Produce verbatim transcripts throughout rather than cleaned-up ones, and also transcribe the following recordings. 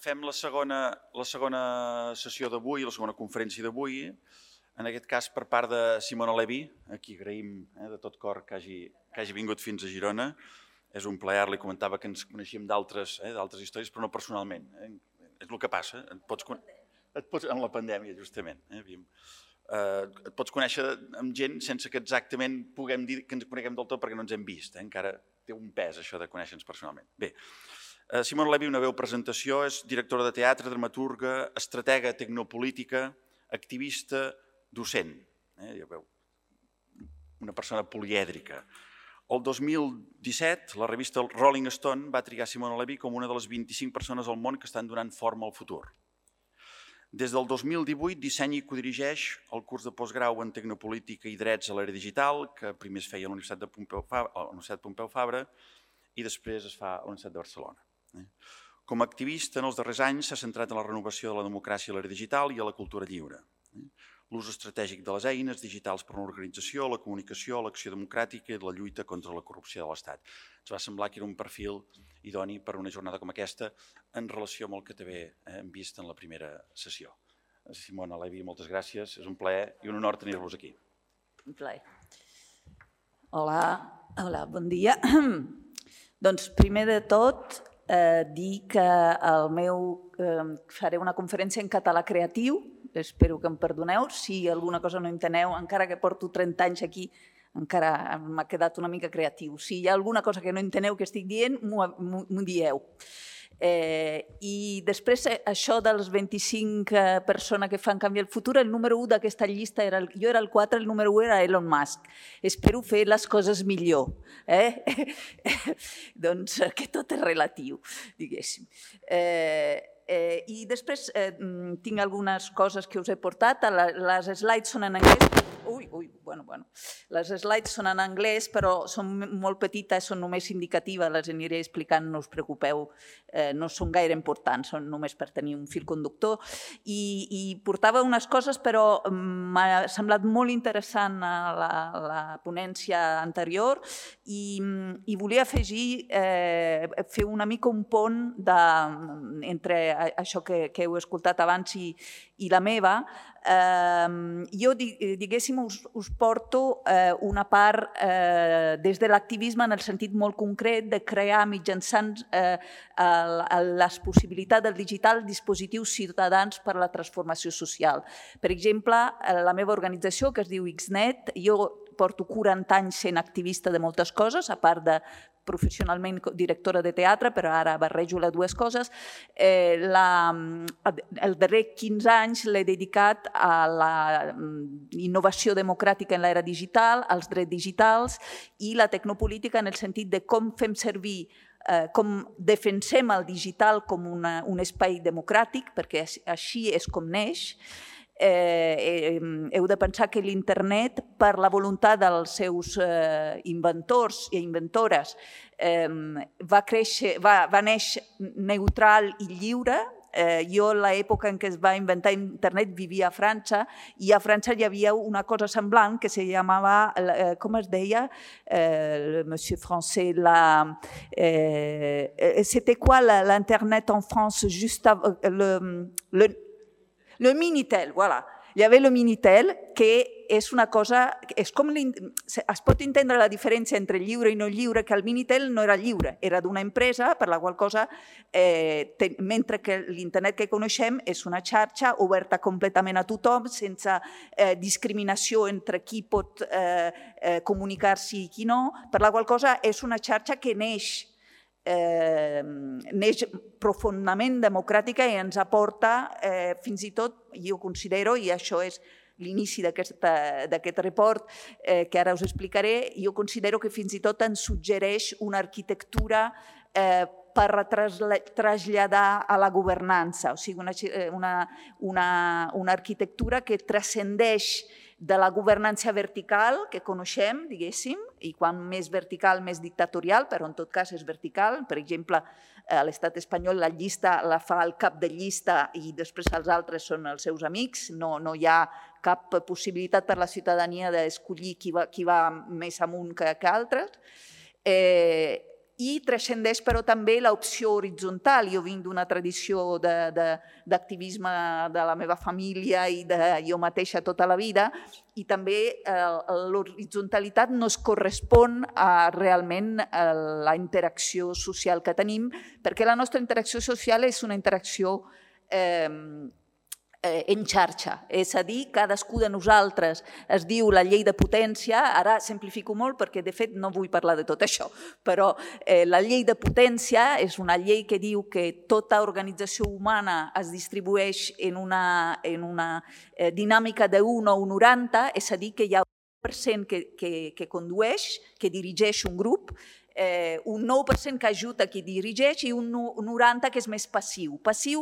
Fem la segona, la segona sessió d'avui, la segona conferència d'avui, en aquest cas per part de Simona Levi, a qui agraïm eh, de tot cor que hagi, que hagi vingut fins a Girona. És un plaer, li comentava que ens coneixíem d'altres eh, històries, però no personalment. Eh? És el que passa, et pots, et pots, en la pandèmia justament. Eh, eh, et pots conèixer amb gent sense que exactament puguem dir que ens coneguem del tot perquè no ens hem vist. Eh? Encara té un pes això de conèixer-nos personalment. Bé, Simona Levi, una breu presentació, és directora de teatre, dramaturga, estratega tecnopolítica, activista, docent. Eh, ja veu, una persona polièdrica. El dos mil disset, la revista Rolling Stone va triar Simona Levi com una de les vint-i-cinc persones al món que estan donant forma al futur. Des del dos mil divuit dissenya i codirigeix el curs de postgrau en Tecnopolítica i Drets a l'Era Digital, que primer es feia a la Universitat de Pompeu Fabra, a la Universitat Pompeu Fabra i després es fa a la Universitat de Barcelona. Com a activista, en els darrers anys s'ha centrat en la renovació de la democràcia a l'era digital i a la cultura lliure. L'ús estratègic de les eines digitals per a l'organització, la comunicació, l'acció democràtica i la lluita contra la corrupció de l'Estat. Ens va semblar que era un perfil idoni per a una jornada com aquesta en relació amb el que també hem vist en la primera sessió. Simona Levi, moltes gràcies. És un plaer i un honor tenir-vos aquí. Un plaer. Hola, hola, bon dia. Doncs primer de tot, Eh, dir que el meu, eh, faré una conferència en català creatiu, espero que em perdoneu, si alguna cosa no enteneu, encara que porto trenta anys aquí, encara m'ha quedat una mica creatiu. Si hi ha alguna cosa que no enteneu que estic dient, m'ho dieu. Eh, I després, això dels vint-i-cinc eh, persones que fan canviar el futur, el número u d'aquesta llista, era el, jo era el quatre, el número u era Elon Musk. Espero fer les coses millor. Eh? Doncs que tot és relatiu, diguéssim. Eh, eh, I després eh, tinc algunes coses que us he portat. Les slides són en anglès. Ui, ui, bueno, bueno. Les slides són en anglès, però són molt petites, són només indicatives, les aniré explicant, no us preocupeu, eh, no són gaire importants, són només per tenir un fil conductor. I, i portava unes coses, però m'ha semblat molt interessant la, la ponència anterior i, i volia afegir, eh, fer una mica un pont de, entre això que, que heu escoltat abans i, i la meva. Eh, jo, diguéssim, us, us porto eh, una part eh, des de l'activisme en el sentit molt concret de crear mitjançant eh, el, les possibilitats del digital dispositius ciutadans per a la transformació social. Per exemple, la meva organització, que es diu Xnet, jo porto quaranta anys sent activista de moltes coses, a part de professionalment directora de teatre, però ara barrejo les dues coses. Eh, la, el darrer quinze anys l'he dedicat a la innovació democràtica en l'era digital, als drets digitals i la tecnopolítica en el sentit de com fem servir, eh, com defensem el digital com una, un espai democràtic, perquè així és com neix. Eh, heu de pensar que l'internet, per la voluntat dels seus eh, inventors i inventores, eh, va, créixer, va, va néixer neutral i lliure. Eh, jo, a l'època en què es va inventar internet, vivia a França i a França hi havia una cosa semblant que se llamava, eh, com es deia, eh, monsieur français, la, eh, c'était quoi l'internet en France juste avant, le, le Le Minitel, voilà. Hi havia el Minitel, que és una cosa... És com es pot entendre la diferència entre lliure i no lliure, que el Minitel no era lliure, era d'una empresa per la qual cosa, eh, ten, mentre que l'internet que coneixem és una xarxa oberta completament a tothom, sense eh, discriminació entre qui pot eh, eh, comunicar-s'hi i qui no, per la qual cosa és una xarxa que neix Eh, neix profundament democràtica i ens aporta eh, fins i tot, jo considero, i això és l'inici d'aquest report eh, que ara us explicaré, jo considero que fins i tot ens suggereix una arquitectura eh, per traslladar a la governança, o sigui, una, una, una, una arquitectura que transcendeix de la governança vertical que coneixem, diguéssim, i quan més vertical, més dictatorial, però en tot cas és vertical. Per exemple, a l'estat espanyol la llista la fa el cap de llista i després els altres són els seus amics. No, no hi ha cap possibilitat per la ciutadania d'escollir qui va, qui va més amunt que, que altres. Eh, i transcendeix però també l'opció horitzontal. Jo vinc d'una tradició d'activisme de, de, de la meva família i de jo mateixa tota la vida, i també eh, l'horizontalitat no es correspon a realment a la interacció social que tenim, perquè la nostra interacció social és una interacció eh, en xarxa, és a dir, cadascú de nosaltres es diu la llei de potència, ara simplifico molt perquè de fet no vull parlar de tot això, però eh, la llei de potència és una llei que diu que tota organització humana es distribueix en una, en una eh, dinàmica d'un o un noranta, és a dir, que hi ha un per cent que, que, que condueix, que dirigeix un grup, Eh, un nou per cent que ajuda qui dirigeix i un noranta per cent que és més passiu. Passiu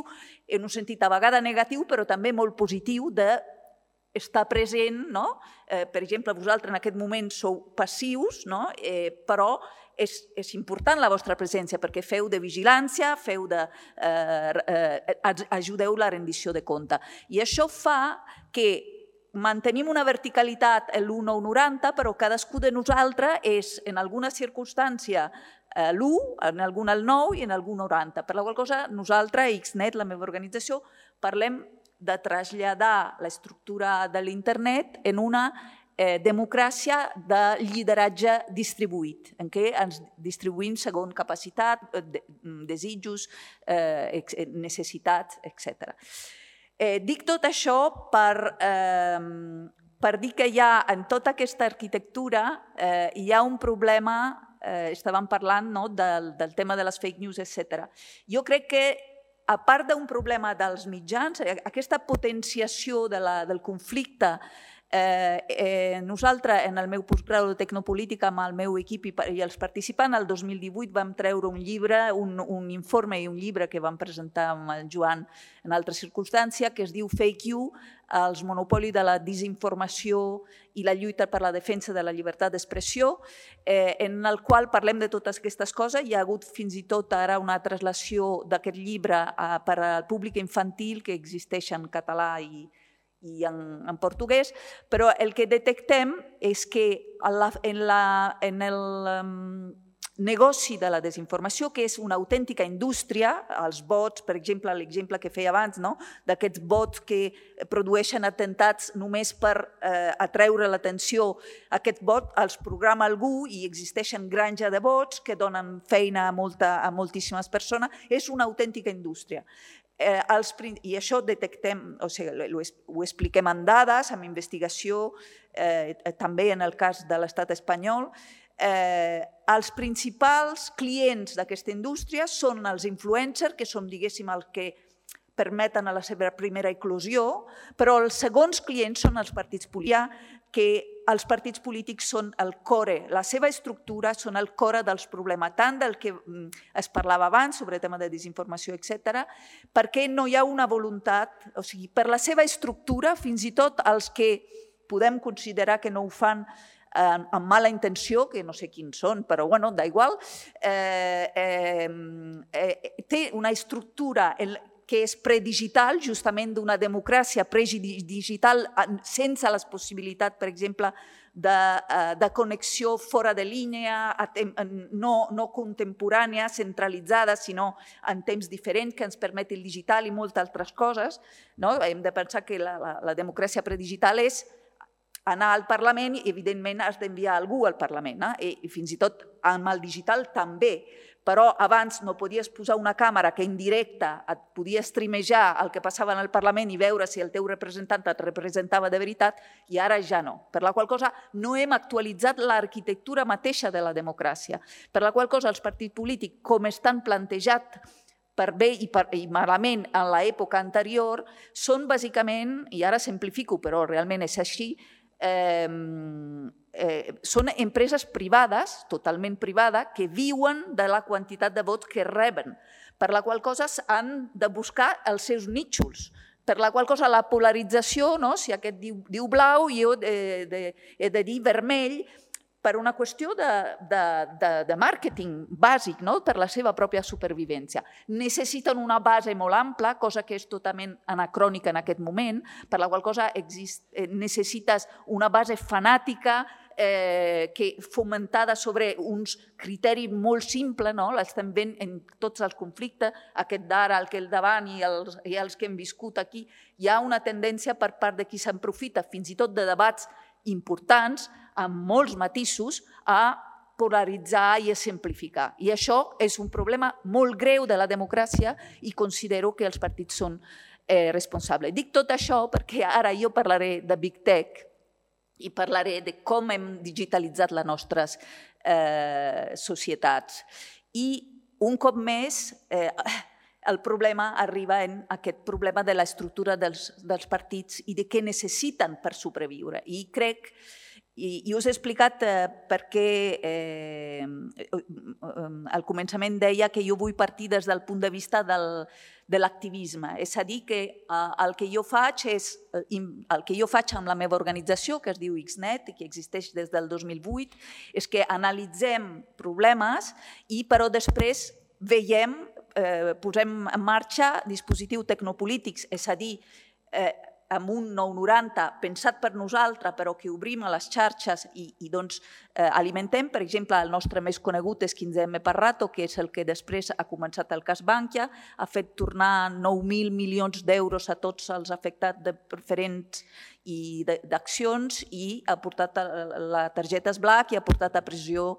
en un sentit a vegades negatiu, però també molt positiu d'estar present, no? Eh, per exemple, vosaltres en aquest moment sou passius, no? eh, però és, és important la vostra presència perquè feu de vigilància, feu de, eh, eh, ajudeu la rendició de compte. I això fa que mantenim una verticalitat en l'u o noranta, però cadascú de nosaltres és, en alguna circumstància, l'u, en alguna el nou i en algun noranta. Per la qual cosa, nosaltres, Xnet, la meva organització, parlem de traslladar l'estructura de l'internet en una eh, democràcia de lideratge distribuït, en què ens distribuïm segons capacitat, desitjos, eh, necessitats, etcètera. Eh, dic tot això per, eh, per dir que hi ha, en tota aquesta arquitectura, eh, hi ha un problema, eh, estàvem parlant no, del, del tema de les fake news, etcètera. Jo crec que, a part d'un problema dels mitjans, aquesta potenciació de la, del conflicte, eh, eh, nosaltres, en el meu postgrau de Tecnopolítica, amb el meu equip i, i els participants, el dos mil divuit vam treure un llibre, un, un informe i un llibre que vam presentar amb el Joan en altra circumstància, que es diu Fake You, els monopolis de la desinformació i la lluita per la defensa de la llibertat d'expressió, eh, en el qual parlem de totes aquestes coses. Hi ha hagut fins i tot ara una translació d'aquest llibre eh, per al públic infantil que existeix en català i i en, en portuguès, però el que detectem és que en, la, en, la, en el um, negoci de la desinformació, que és una autèntica indústria, els bots, per exemple, l'exemple que feia abans, no? D'aquests bots que produeixen atemptats només per eh, atreure l'atenció, aquest bot els programa algú i existeixen granja de bots que donen feina a, molta, a moltíssimes persones, és una autèntica indústria. Eh, els, I això detectem, o sigui, ho expliquem en dades, amb investigació, eh, també en el cas de l'estat espanyol. Eh, els principals clients d'aquesta indústria són els influencers, que són, diguéssim, els que permeten a la seva primera eclosió, però els segons clients són els partits polítics, que els partits polítics són el core, la seva estructura són el core dels problemes, tant del que es parlava abans sobre el tema de desinformació, etcètera, perquè no hi ha una voluntat, o sigui, per la seva estructura, fins i tot els que podem considerar que no ho fan amb mala intenció, que no sé quins són, però bueno, da igual, eh, eh, eh, té una estructura que és predigital, justament d'una democràcia predigital sense les possibilitats, per exemple, de, de connexió fora de línia, no, no contemporània, centralitzada, sinó en temps diferents que ens permet el digital i moltes altres coses. No? Hem de pensar que la, la, la democràcia predigital és anar al Parlament i, evidentment, has d'enviar algú al Parlament. Eh? I fins i tot amb el digital també. Però abans no podies posar una càmera que en directe et podia streamejar el que passava en el Parlament i veure si el teu representant et representava de veritat, i ara ja no. Per la qual cosa no hem actualitzat l'arquitectura mateixa de la democràcia. Per la qual cosa els partits polítics, com estan plantejats per bé i, per, i malament en l'època anterior, són bàsicament, i ara simplifico, però realment és així, eh, Eh, són empreses privades, totalment privades, que viuen de la quantitat de vots que reben, per la qual cosa han de buscar els seus nítxols, per la qual cosa la polarització, no? Si aquest diu, diu blau i jo he de, he de dir vermell, per una qüestió de, de, de, de màrqueting bàsic, no? Per la seva pròpia supervivència. Necessiten una base molt ampla, cosa que és totalment anacrònica en aquest moment, per la qual cosa exist, necessites una base fanàtica eh, que fomentada sobre uns criteris molt simples, no? L'estem veient en tots els conflictes, aquest d'ara, el que el davant i els, i els que hem viscut aquí. Hi ha una tendència per part de qui s'aprofita, fins i tot de debats importants, amb molts matisos, a polaritzar i a simplificar. I això és un problema molt greu de la democràcia i considero que els partits són eh, responsables. Dic tot això perquè ara jo parlaré de Big Tech i parlaré de com hem digitalitzat les nostres eh, societats. I un cop més, eh, el problema arriba en aquest problema de l'estructura dels, dels partits i de què necessiten per sobreviure. I crec, i, i us he explicat eh, perquè eh, al començament deia que jo vull partir des del punt de vista del, de l'activisme. És a dir, que eh, el que jo faig és el que jo faig amb la meva organització, que es diu Xnet i que existeix des del dos mil vuit, és que analitzem problemes i però després veiem, eh, posem en marxa dispositius tecnopolítics, és a dir, eh, amb un nou noranta pensat per nosaltres, però que obrim a les xarxes i, i doncs, eh, alimentem. Per exemple, el nostre més conegut és quinze emme per rato, que és el que després ha començat el cas Bankia, ha fet tornar nou mil milions d'euros a tots els afectats de preferents i d'accions i ha portat la targeta Black i ha portat a pressió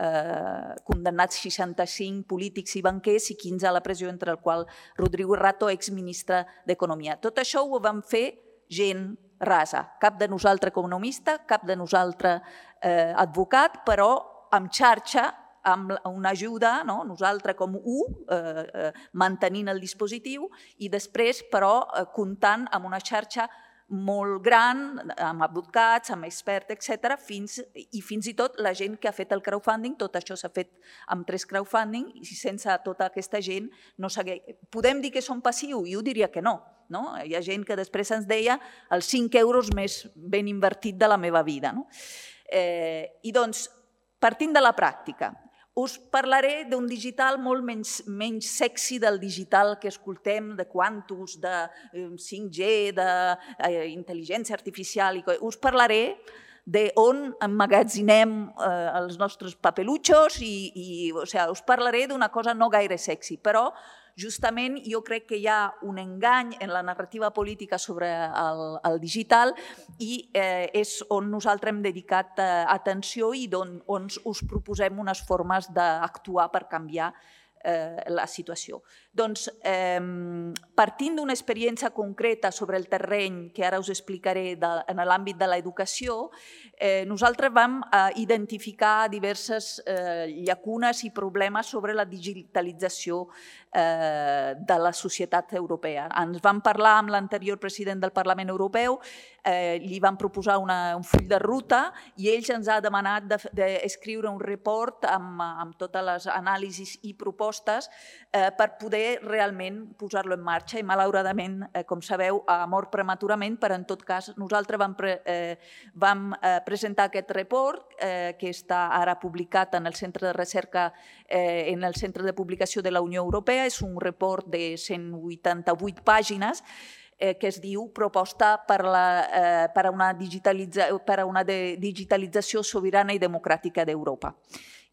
eh, condemnats seixanta-cinc polítics i banquers i quinze a la pressió, entre el qual Rodrigo Rato, exministre d'Economia. Tot això ho vam fer gent rasa, cap de nosaltres economista, cap de nosaltres eh, advocat, però amb xarxa, amb una ajuda, no? Nosaltres com u, eh, eh, mantenint el dispositiu i després, però, eh, comptant amb una xarxa molt gran, amb advocats, amb experts, etcètera, fins, i fins i tot la gent que ha fet el crowdfunding, tot això s'ha fet amb tres crowdfunding, i sense tota aquesta gent no s'hagués... Podem dir que són passius? Jo diria que no, no. Hi ha gent que després ens deia els cinc euros més ben invertit de la meva vida. No? Eh, I doncs, partint de la pràctica, us parlaré d'un digital molt menys, menys sexy del digital que escoltem, de quantus, de cinc G, d'intel·ligència artificial. Us parlaré d'on emmagatzinem eh, els nostres papeluchos i, i o sigui, us parlaré d'una cosa no gaire sexy, però justament jo crec que hi ha un engany en la narrativa política sobre el, el digital i eh, és on nosaltres hem dedicat eh, atenció i on, on us proposem unes formes d'actuar per canviar eh, la situació. Doncs, eh, partint d'una experiència concreta sobre el terreny, que ara us explicaré de, en l'àmbit de l'educació, eh, nosaltres vam eh, identificar diverses eh, llacunes i problemes sobre la digitalització eh, de la societat europea. Ens vam parlar amb l'anterior president del Parlament Europeu, eh, li vam proposar una, un full de ruta i ells ens ha demanat d'escriure de, de un report amb, amb totes les anàlisis i propostes eh, per poder realment posar-lo en marxa i malauradament, eh, com sabeu, ha mort prematurament, però en tot cas nosaltres vam, pre, eh, vam eh, presentar aquest report eh, que està ara publicat en el Centre de Recerca, eh, en el Centre de Publicació de la Unió Europea. És un report de cent vuitanta-vuit pàgines eh, que es diu Proposta per, la, eh, per, a una digitalitza, per a una de digitalització sobirana i democràtica d'Europa.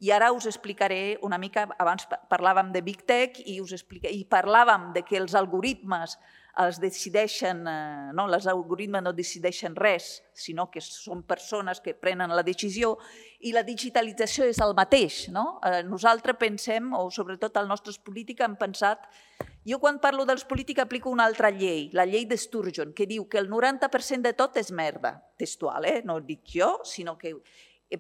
I ara us explicaré una mica, abans parlàvem de Big Tech i, us explica, i parlàvem de que els algoritmes els decideixen, no, els algoritmes no decideixen res, sinó que són persones que prenen la decisió i la digitalització és el mateix. No? Nosaltres pensem, o sobretot els nostres polítics han pensat, jo quan parlo dels polítics aplico una altra llei, la llei de Sturgeon, que diu que el noranta per cent de tot és merda, textual, eh? No ho dic jo, sinó que...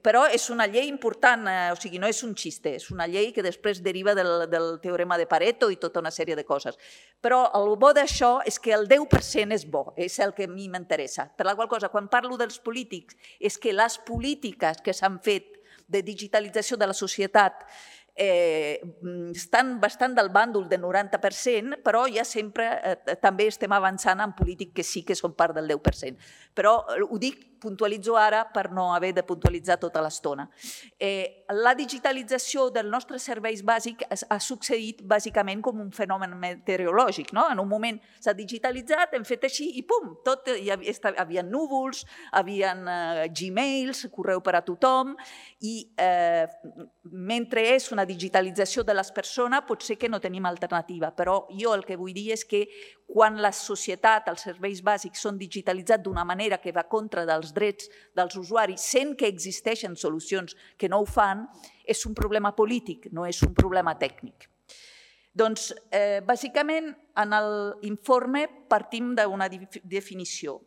Però és una llei important, eh, o sigui, no és un xiste, és una llei que després deriva del, del teorema de Pareto i tota una sèrie de coses. Però el bo d'això és que el deu per cent és bo, és el que a mi m'interessa. Per la qual cosa, quan parlo dels polítics, és que les polítiques que s'han fet de digitalització de la societat eh, estan bastant del bàndol del noranta per cent, però ja sempre eh, també estem avançant en polítics que sí que són part del deu per cent. Però ho dic puntualitzo ara per no haver de puntualitzar tota l'estona. La digitalització dels nostres serveis bàsics ha succeït bàsicament com un fenomen meteorològic. En un moment s'ha digitalitzat, hem fet així i pum, tot, hi havia núvols, hi havia Gmails, correu per a tothom, i mentre és una digitalització de les persones potser que no tenim alternativa, però jo el que vull dir és que quan la societat, els serveis bàsics són digitalitzats d'una manera que va contra dels drets dels usuaris, sent que existeixen solucions que no ho fan, és un problema polític, no és un problema tècnic. Doncs, bàsicament, en l'informe partim d'una definició.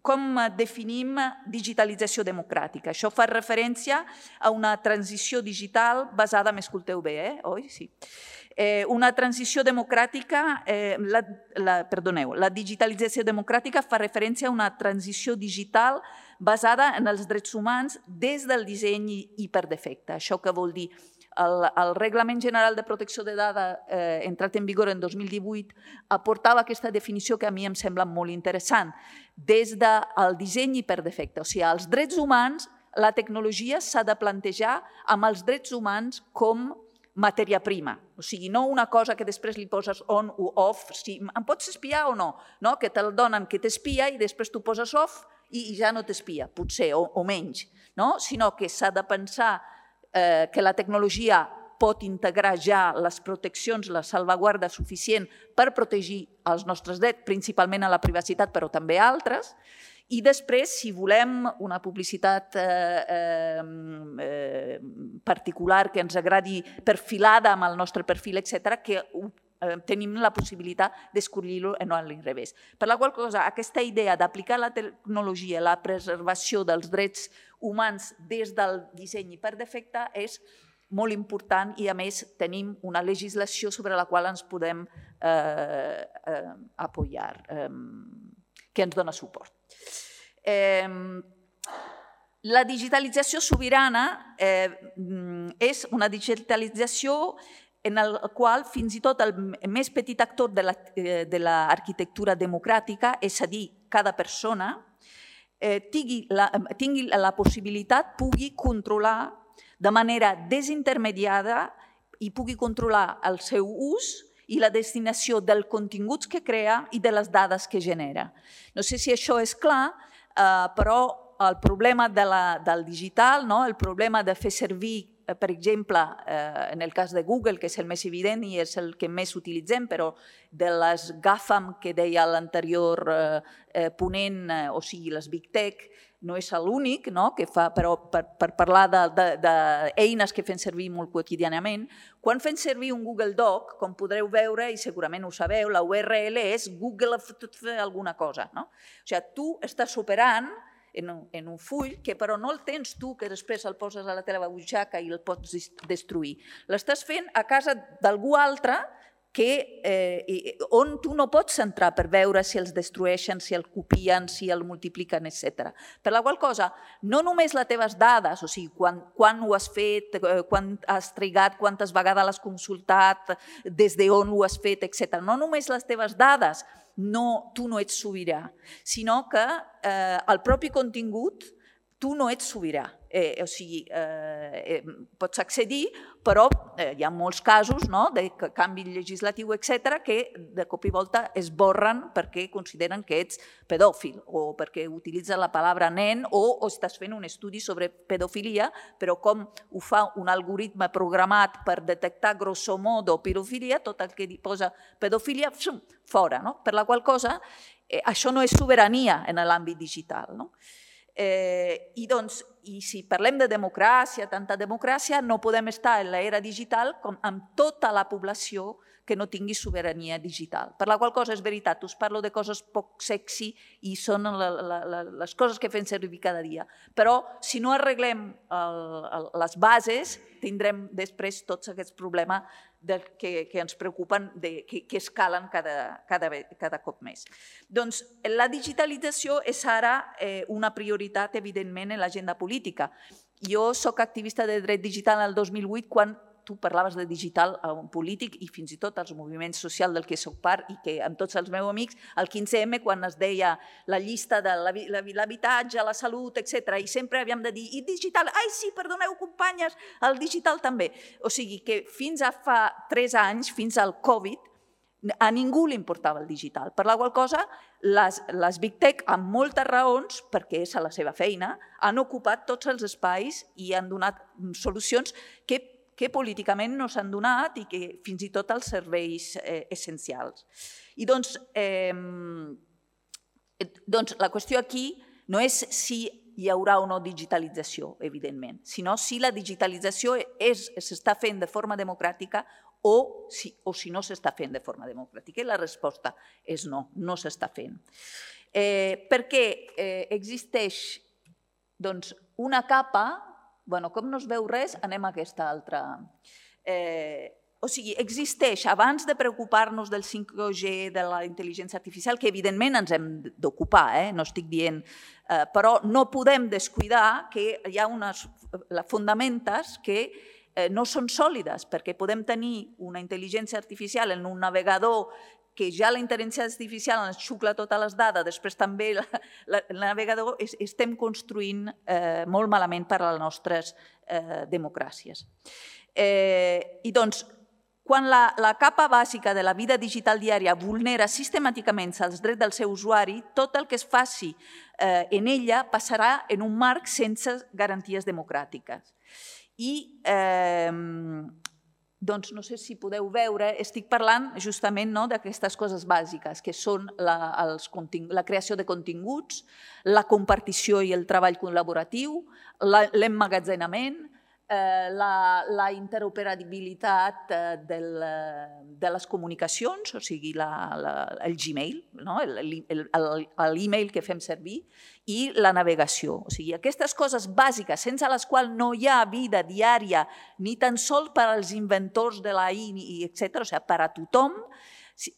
Com definim digitalització democràtica? Això fa referència a una transició digital basada, m'escolteu bé, eh? Oi? Sí. Una transició democràtica, perdoneu, la digitalització democràtica fa referència a una transició digital basada en els drets humans des del disseny i per defecte. Això què vol dir? El Reglament General de Protecció de Dades, entrat en vigor en dos mil divuit, aportava aquesta definició que a mi em sembla molt interessant. Des del disseny i per defecte, o sigui, els drets humans, la tecnologia s'ha de plantejar amb els drets humans com matèria prima, o sigui, no una cosa que després li poses on o off, si em pots espiar o no, que te'l donen que t'espia i després tu poses off i ja no t'espia, potser, o menys, sinó que s'ha de pensar que la tecnologia pot integrar ja les proteccions, la salvaguarda suficient per protegir els nostres drets, principalment a la privacitat, però també a altres. I després, si volem una publicitat particular que ens agradi perfilada amb el nostre perfil, etcètera, que tenim la possibilitat d'escollir-ho no a l'inrevés. Per la qual cosa, aquesta idea d'aplicar la tecnologia, la preservació dels drets humans des del disseny i per defecte és molt important i, a més, tenim una legislació sobre la qual ens podem apoyar, que ens dona suport. La digitalització sobirana és una digitalització en la qual fins i tot el més petit actor de l'arquitectura democràtica, és a dir, cada persona, tingui la possibilitat, pugui controlar de manera desintermediada i pugui controlar el seu ús i la destinació dels continguts que crea i de les dades que genera. No sé si això és clar, però el problema del digital, el problema de fer servir, per exemple, en el cas de Google, que és el més evident i és el que més utilitzem, però de les GAFAM que deia l'anterior ponent, o sigui, les Big Tech, no és l'únic, però per parlar d'eines que fem servir molt quotidianament, quan fem servir un Google Doc, com podreu veure, i segurament ho sabeu, la U R L és Google alguna cosa. O sigui, tu estàs operant en un full que però no el tens tu, que després el poses a la teva butxaca i el pots destruir. L'estàs fent a casa d'algú altre on tu no pots entrar per veure si els destrueixen, si el copien, si el multipliquen, etcètera. Per la qual cosa, no només les teves dades, o sigui, quan ho has fet, quan has trigat, quantes vegades l'has consultat, des d'on ho has fet, etcètera. No només les teves dades, tu no ets sobirà, sinó que el propi contingut tu no ets sobirà. O sigui, pots accedir, però hi ha molts casos de canvi legislatiu, etcètera, que de cop i volta es borren perquè consideren que ets pedòfil o perquè utilitzen la paraula nen o estàs fent un estudi sobre pedofilia, però com ho fa un algoritme programat per detectar grosso modo pedofilia, tot el que posa pedofilia, fora. Per la qual cosa, això no és sobirania en l'àmbit digital. I si parlem de democràcia, tanta democràcia, no podem estar en l'era digital amb tota la població que no tingui sobirania digital. Per la qual cosa és veritat, us parlo de coses poc sexy i són les coses que fem servir cada dia. Però si no arreglem les bases, tindrem després tots aquests problemes que ens preocupen, que escalen cada cop més. Doncs la digitalització és ara una prioritat, evidentment, en l'agenda política. Jo soc activista de dret digital el dos mil vuit quan tu parlaves de digital a un polític i fins i tot als moviments socials del que soc part i que amb tots els meus amics, el quinze eme, quan es deia la llista de l'habitatge, la salut, etcètera, i sempre havíem de dir, i digital, ai sí, perdoneu companyes, el digital també. O sigui que fins a fa tres anys, fins al Covid, a ningú li importava el digital. Per la qual cosa, les, les Big Tech, amb moltes raons, perquè és a la seva feina, han ocupat tots els espais i han donat solucions que, que políticament no s'han donat i que fins i tot els serveis eh, essencials. I doncs, eh, doncs la qüestió aquí no és si hi haurà o no digitalització, evidentment, sinó si la digitalització s'està fent de forma democràtica o si, o si no s'està fent de forma democràtica. I la resposta és no, no s'està fent. Eh, perquè eh, existeix doncs, una capa, bueno, com no es veu res, anem a aquesta altra. Eh, o sigui, existeix, abans de preocupar-nos del cinc G, de la intel·ligència artificial, que evidentment ens hem d'ocupar, eh? No estic dient, eh, però no podem descuidar que hi ha unes fundamentes que no són sòlides, perquè podem tenir una intel·ligència artificial en un navegador que ja la intel·ligència artificial ens xucla totes les dades, després també la, la, el navegador es, estem construint eh, molt malament per a les nostres eh, democràcies. Eh, I doncs, quan la, la capa bàsica de la vida digital diària vulnera sistemàticament els drets del seu usuari, tot el que es faci eh, en ella passarà en un marc sense garanties democràtiques. I eh, doncs no sé si podeu veure, estic parlant justament no, d'aquestes coses bàsiques, que són la, els la creació de continguts, la compartició i el treball col·laboratiu, l'emmagatzenament, eh, la, la interoperabilitat eh, del, de les comunicacions, o sigui, la, la, el Gmail, no? l'e-mail que fem servir, i la navegació. O sigui, aquestes coses bàsiques, sense les quals no hi ha vida diària, ni tan sols per als inventors de la I, etcètera, o sigui, per a tothom,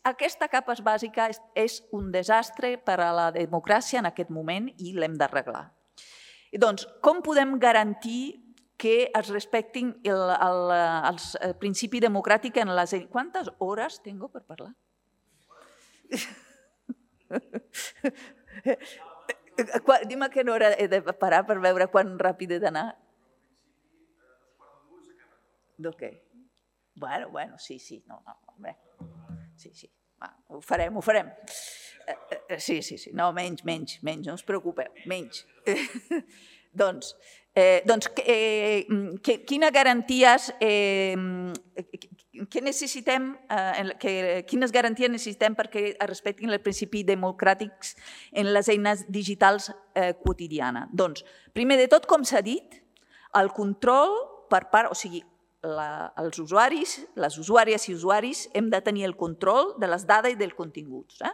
aquesta capa bàsica és, és un desastre per a la democràcia en aquest moment i l'hem d'arreglar. Doncs, com podem garantir que es respectin el, el, el, el principi democràtic en les... Quantes hores tengo per parlar? Dime a quina hora he de parar per veure quan ràpid he d'anar. Ok. Bueno, bueno, sí, sí. No, no, bé. Sí, sí. Va, ho farem, ho farem. Sí, sí, sí. No, menys, menys, menys. No us preocupeu. Menys. Doncs, eh, doncs eh, que, quines garanties eh, que necessitem, eh, que, quines garanties necessitem perquè es respectin els principis democràtics en les eines digitals eh, quotidianes? Doncs, primer de tot, com s'ha dit, el control per part, o sigui, la, els usuaris, les usuàries i usuaris hem de tenir el control de les dades i dels continguts. Eh?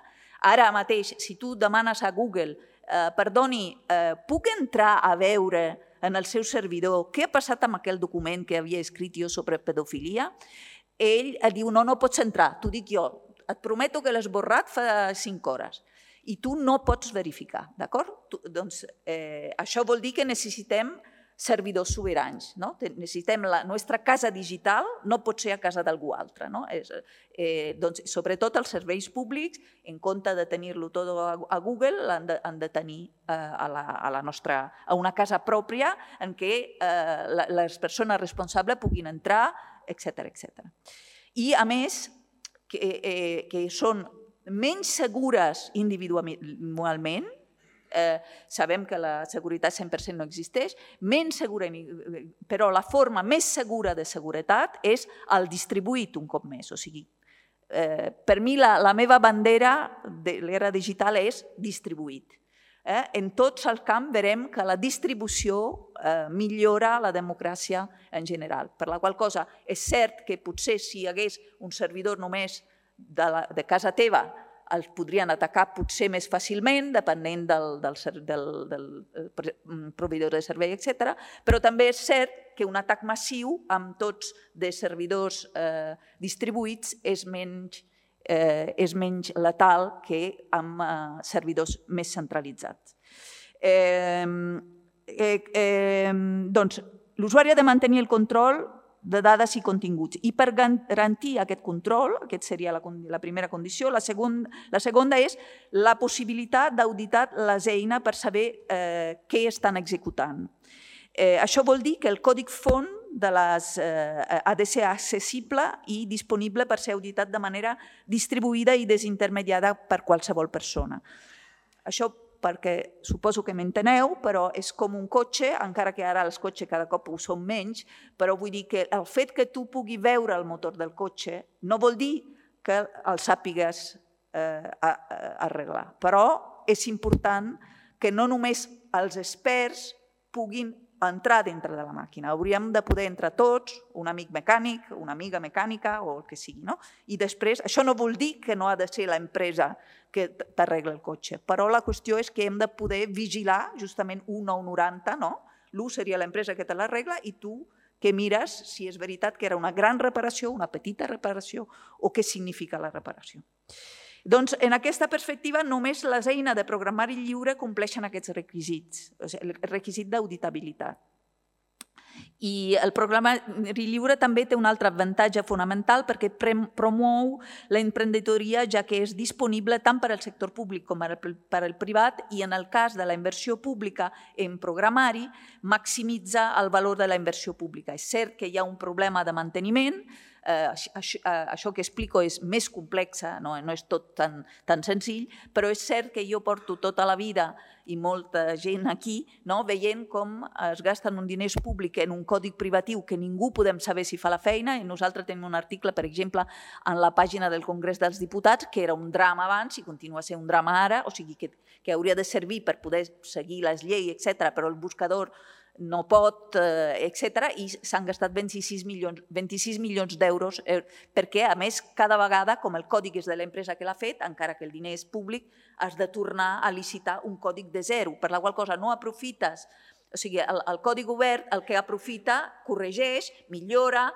Ara mateix, si tu demanes a Google Eh, perdoni, eh, puc entrar a veure en el seu servidor què ha passat amb aquell document que havia escrit jo sobre pedofilia? Ell et diu, no, no pots entrar, t'ho dic jo, et prometo que l'he esborrat fa cinc hores i tu no pots verificar, d'acord? Doncs eh, això vol dir que necessitem servidors sobirans, no? Necessitem la nostra casa digital, no pot ser a casa d'algú altre, no? És, eh, doncs, sobretot els serveis públics, en compte de tenir-lo tot a, a Google, han de, han de tenir eh, a, la, a, la nostra, a una casa pròpia en què eh, la, les persones responsables puguin entrar, etcètera, etcètera. I, a més, que, eh, que són menys segures individualment, Eh, sabem que la seguretat cent per cent no existeix, menys segura, però la forma més segura de seguretat és el distribuït un cop més. O sigui, eh, per mi la, la meva bandera de l'era digital és distribuït. Eh? En tots els camps veurem que la distribució eh, millora la democràcia en general. Per la qual cosa és cert que potser si hi hagués un servidor només de, la, de casa teva els podrien atacar potser més fàcilment, depenent del, del, del, del proveïdor de servei, etcètera. Però també és cert que un atac massiu amb tots de servidors eh, distribuïts és menys, eh, és menys letal que amb eh, servidors més centralitzats. Eh, eh, eh, doncs, l'usuari ha de mantenir el control de dades i continguts. I per garantir aquest control, aquesta seria la primera condició, la segona és la possibilitat d'auditar les eines per saber què estan executant. Això vol dir que el còdig font ha de ser accessible i disponible per ser auditat de manera distribuïda i desintermediada per qualsevol persona. Això perquè suposo que m'enteneu, però és com un cotxe, encara que ara els cotxes cada cop ho són menys, però vull dir que el fet que tu puguis veure el motor del cotxe no vol dir que el sàpigues arreglar. Però és important que no només els experts puguin entrar dintre de la màquina. Hauríem de poder entrar tots, un amic mecànic, una amiga mecànica o el que sigui. I després, això no vol dir que no ha de ser l'empresa que t'arregla el cotxe, però la qüestió és que hem de poder vigilar justament un nou noranta, l'u seria l'empresa que te l'arregla i tu que mires si és veritat que era una gran reparació, una petita reparació o què significa la reparació. Doncs, en aquesta perspectiva, només les eines de programari lliure compleixen aquests requisits, el requisit d'auditabilitat. I el programari lliure també té un altre avantatge fonamental perquè promou l'emprenedoria, ja que és disponible tant per al sector públic com per al privat i, en el cas de la inversió pública en programari, maximitza el valor de la inversió pública. És cert que hi ha un problema de manteniment, això que explico és més complex, no és tot tan senzill, però és cert que jo porto tota la vida i molta gent aquí veient com es gasten un diners públic en un còdig privatiu que ningú podem saber si fa la feina, i nosaltres tenim un article, per exemple, en la pàgina del Congrés dels Diputats, que era un drama abans i continua sent un drama ara, o sigui que hauria de servir per poder seguir les lleis, etcètera, però el buscador no pot, etcètera, i s'han gastat vint-i-sis milions d'euros perquè, a més, cada vegada, com el còdig és de l'empresa que l'ha fet, encara que el diner és públic, has de tornar a licitar un còdig de zero, per la qual cosa no aprofites. O sigui, el còdig obert el que aprofita, corregeix, millora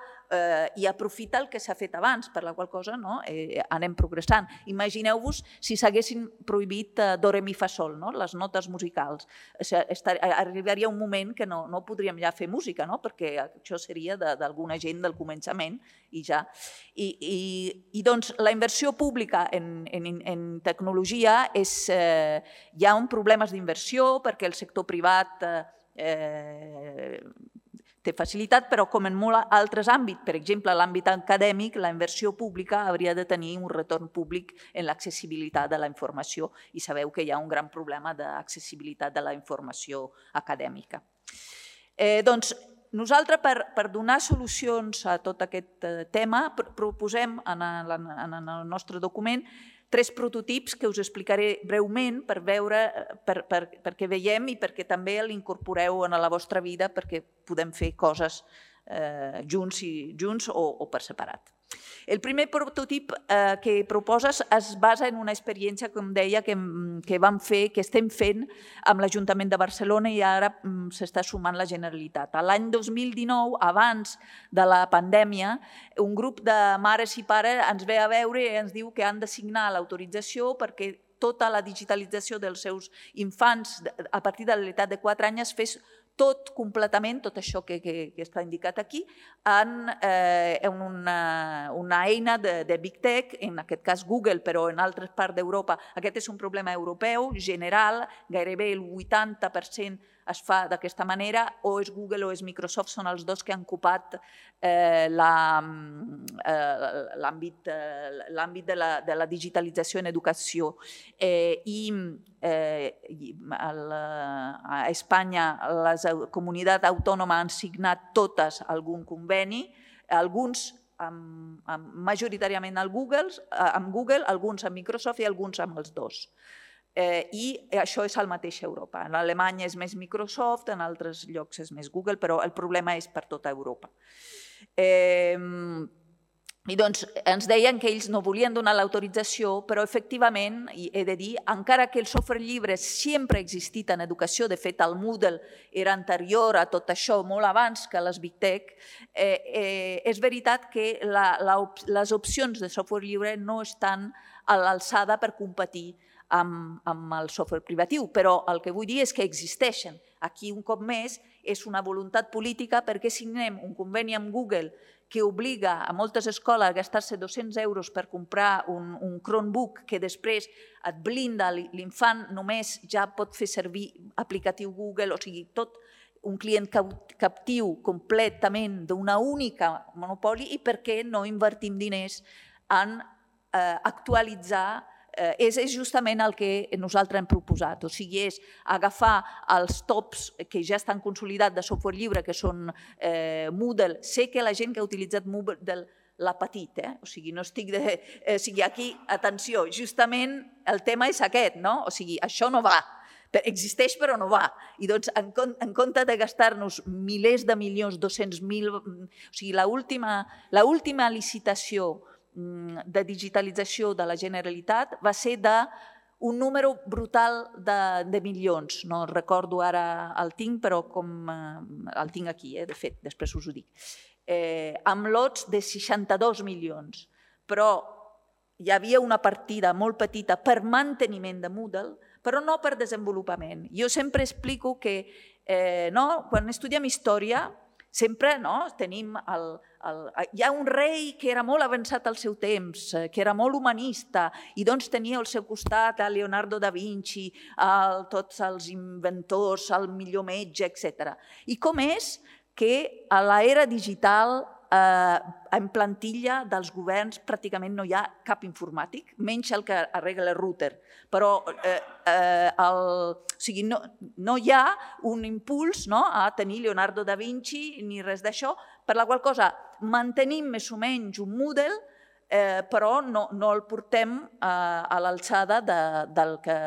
i aprofita el que s'ha fet abans, per la qual cosa anem progressant. Imagineu-vos si s'haguessin prohibit do, re, mi, fa, sol, les notes musicals. Arribaria un moment que no podríem ja fer música, perquè això seria d'alguna gent del començament i ja. I doncs la inversió pública en tecnologia és... Hi ha problemes d'inversió perquè el sector privat té facilitat, però com en molts altres àmbits, per exemple, l'àmbit acadèmic, la inversió pública hauria de tenir un retorn públic en l'accessibilitat de la informació i sabeu que hi ha un gran problema d'accessibilitat de la informació acadèmica. Doncs nosaltres, per donar solucions a tot aquest tema, proposem en el nostre document tres prototips que us explicaré breument per veure, perquè veiem i perquè també l'incorporeu en la vostra vida perquè podem fer coses junts o per separat. El primer prototip que proposes es basa en una experiència, com deia, que vam fer, que estem fent amb l'Ajuntament de Barcelona i ara s'està sumant la Generalitat. L'any dos mil dinou, abans de la pandèmia, un grup de mares i pares ens ve a veure i ens diu que han de signar l'autorització perquè tota la digitalització dels seus infants a partir de l'edat de quatre anys es fes tot completament, tot això que està indicat aquí, en una eina de Big Tech, en aquest cas Google, però en altres parts d'Europa. Aquest és un problema europeu, general, gairebé el vuitanta per cent es fa d'aquesta manera, o és Google o és Microsoft, són els dos que han ocupat l'àmbit de la digitalització en educació. I a Espanya les comunitats autònomes han signat totes algun conveni, alguns majoritàriament amb Google, alguns amb Microsoft i alguns amb els dos. I això és el mateix a Europa. En Alemanya és més Microsoft, en altres llocs és més Google, però el problema és per tota Europa. I doncs ens deien que ells no volien donar l'autorització, però efectivament, he de dir, encara que el software lliure sempre ha existit en educació, de fet el Moodle era anterior a tot això, molt abans que les Big Tech, és veritat que les opcions de software lliure no estan a l'alçada per competir amb el software privatiu, però el que vull dir és que existeixen. Aquí, un cop més, és una voluntat política perquè signem un conveni amb Google que obliga a moltes escoles a gastar-se dos-cents euros per comprar un, un Chromebook que després et blinda, l'infant només ja pot fer servir aplicatiu Google, o sigui, tot un client captiu completament d'una única monopoli, i per què no invertim diners en eh, actualitzar. Eh, és justament el que nosaltres hem proposat, o sigui, és agafar els tops que ja estan consolidats de software lliure, que són eh, Moodle. Sé que la gent que ha utilitzat Moodle l'ha patit, eh? O sigui, no estic de... Eh, o sigui, aquí, atenció, justament el tema és aquest, no? O sigui, això no va. Existeix però no va. I doncs, en, en compte de gastar-nos milers de milions, dos-cents mil... O sigui, l'última licitació de digitalització de la Generalitat va ser d'un número brutal de, de milions. No recordo ara el tinc, però com el tinc aquí, eh, de fet, després us ho dic. Eh, amb lots de seixanta-dos milions. Però hi havia una partida molt petita per manteniment de Moodle, però no per desenvolupament. Jo sempre explico que eh, no, quan estudiem història, sempre no, tenim el, el... Hi ha un rei que era molt avançat al seu temps, que era molt humanista, i doncs tenia al seu costat a Leonardo da Vinci, a tots els inventors, el millor metge, etcètera. I com és que a l'era digital, eh, en plantilla dels governs, pràcticament no hi ha cap informàtic, menys el que arregla el router. Però eh, eh, el, o sigui, no, no hi ha un impuls, no, a tenir Leonardo da Vinci ni res d'això, per la qual cosa mantenim més o menys un Moodle, eh, però no, no el portem eh, a l'alçada de, del que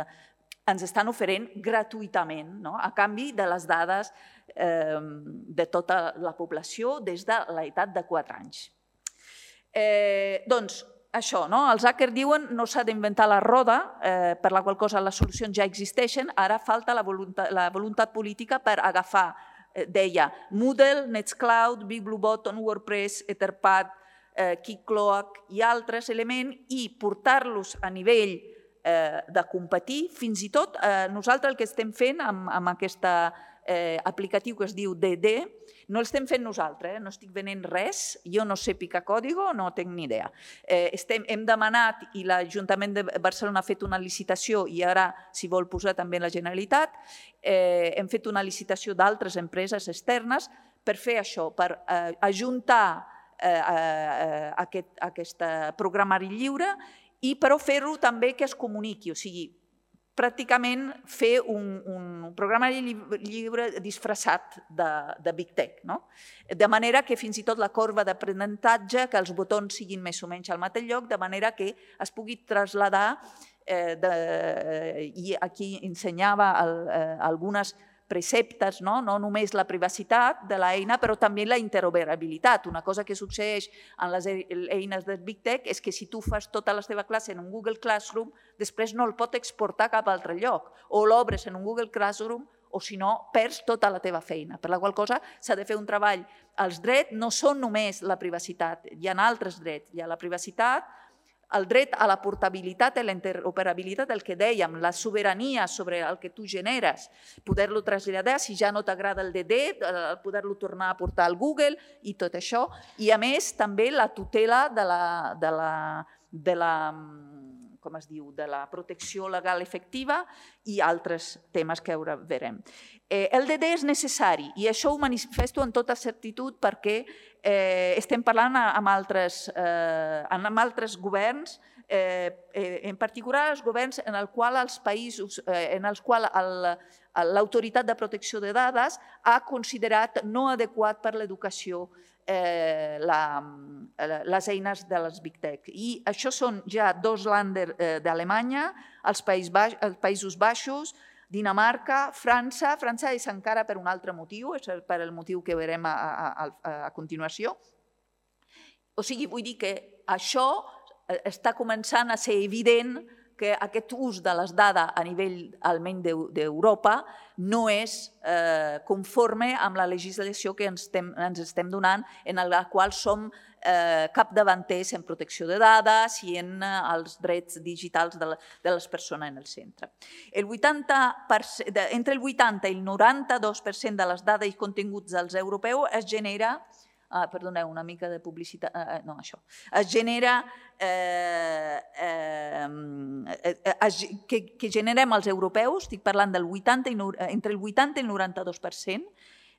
ens estan oferint gratuïtament, no? A canvi de les dades eh, de tota la població des de l'edat de quatre anys. Eh, doncs, això, no? Els hackers diuen no s'ha d'inventar la roda, eh, per la qual cosa les solucions ja existeixen, ara falta la voluntat, la voluntat política per agafar, eh, deia, Moodle, Nextcloud, BigBlueButton, WordPress, Etherpad, eh, Keycloak i altres elements i portar-los a nivell eh, de competir. Fins i tot eh, nosaltres el que estem fent amb, amb aquest eh, aplicatiu que es diu D D, no l'estem fent nosaltres, eh? No estic venent res, jo no sé picar còdigo, no tinc ni idea. Eh, estem, hem demanat i l'Ajuntament de Barcelona ha fet una licitació i ara s'hi vol posar també la Generalitat, eh, hem fet una licitació d'altres empreses externes per fer això, per eh, ajuntar eh, eh, aquest, aquest programari lliure i però fer-ho també que es comuniqui, o sigui, pràcticament fer un, un programari lliure disfressat de, de Big Tech, no? De manera que fins i tot la corba d'aprenentatge, que els botons siguin més o menys al mateix lloc, de manera que es pugui traslladar, eh, de, i aquí ensenyava el, eh, algunes preceptes, no? No només la privacitat de l'eina, però també la interoperabilitat. Una cosa que succeeix en les eines de Big Tech és que si tu fas tota la teva classe en un Google Classroom, després no el pot exportar a cap altre lloc. O l'obres en un Google Classroom o si no perds tota la teva feina. Per la qual cosa s'ha de fer un treball. Els drets no són només la privacitat, hi ha altres drets. Hi ha la privacitat, el dret a la portabilitat i la interoperabilitat, el que dèiem, la sobirania sobre el que tu generes, poder-lo traslladar, si ja no t'agrada el D D, poder-lo tornar a portar al Google i tot això. I a més també la tutela de la, de la, de la, com es diu, de la protecció legal efectiva i altres temes que ara veurem. El D D és necessari i això ho manifesto en tota certitud perquè eh, estem parlant amb altres, eh, amb altres governs, eh, en particular els governs en els quals els països, eh, en els quals l'Autoritat de Protecció de Dades ha considerat no adequat per l'educació eh, la, les eines de les Big Tech. I això són ja dos länder eh, d'Alemanya, els, País Baix, els Països Baixos, Dinamarca, França. França és encara per un altre motiu, és per el motiu que veurem a, a, a continuació. O sigui, vull dir que això està començant a ser evident que aquest ús de les dades a nivell almenys d'Europa no és conforme amb la legislació que ens estem donant, en la qual som capdavanters en protecció de dades i en els drets digitals de les persones en el centre. Entre el vuitanta i el noranta-dos per cent de les dades i continguts dels europeus es genera, perdoneu, una mica de publicitat, no, això, es genera, que generem els europeus, estic parlant del vuitanta, entre el vuitanta i el noranta-dos per cent,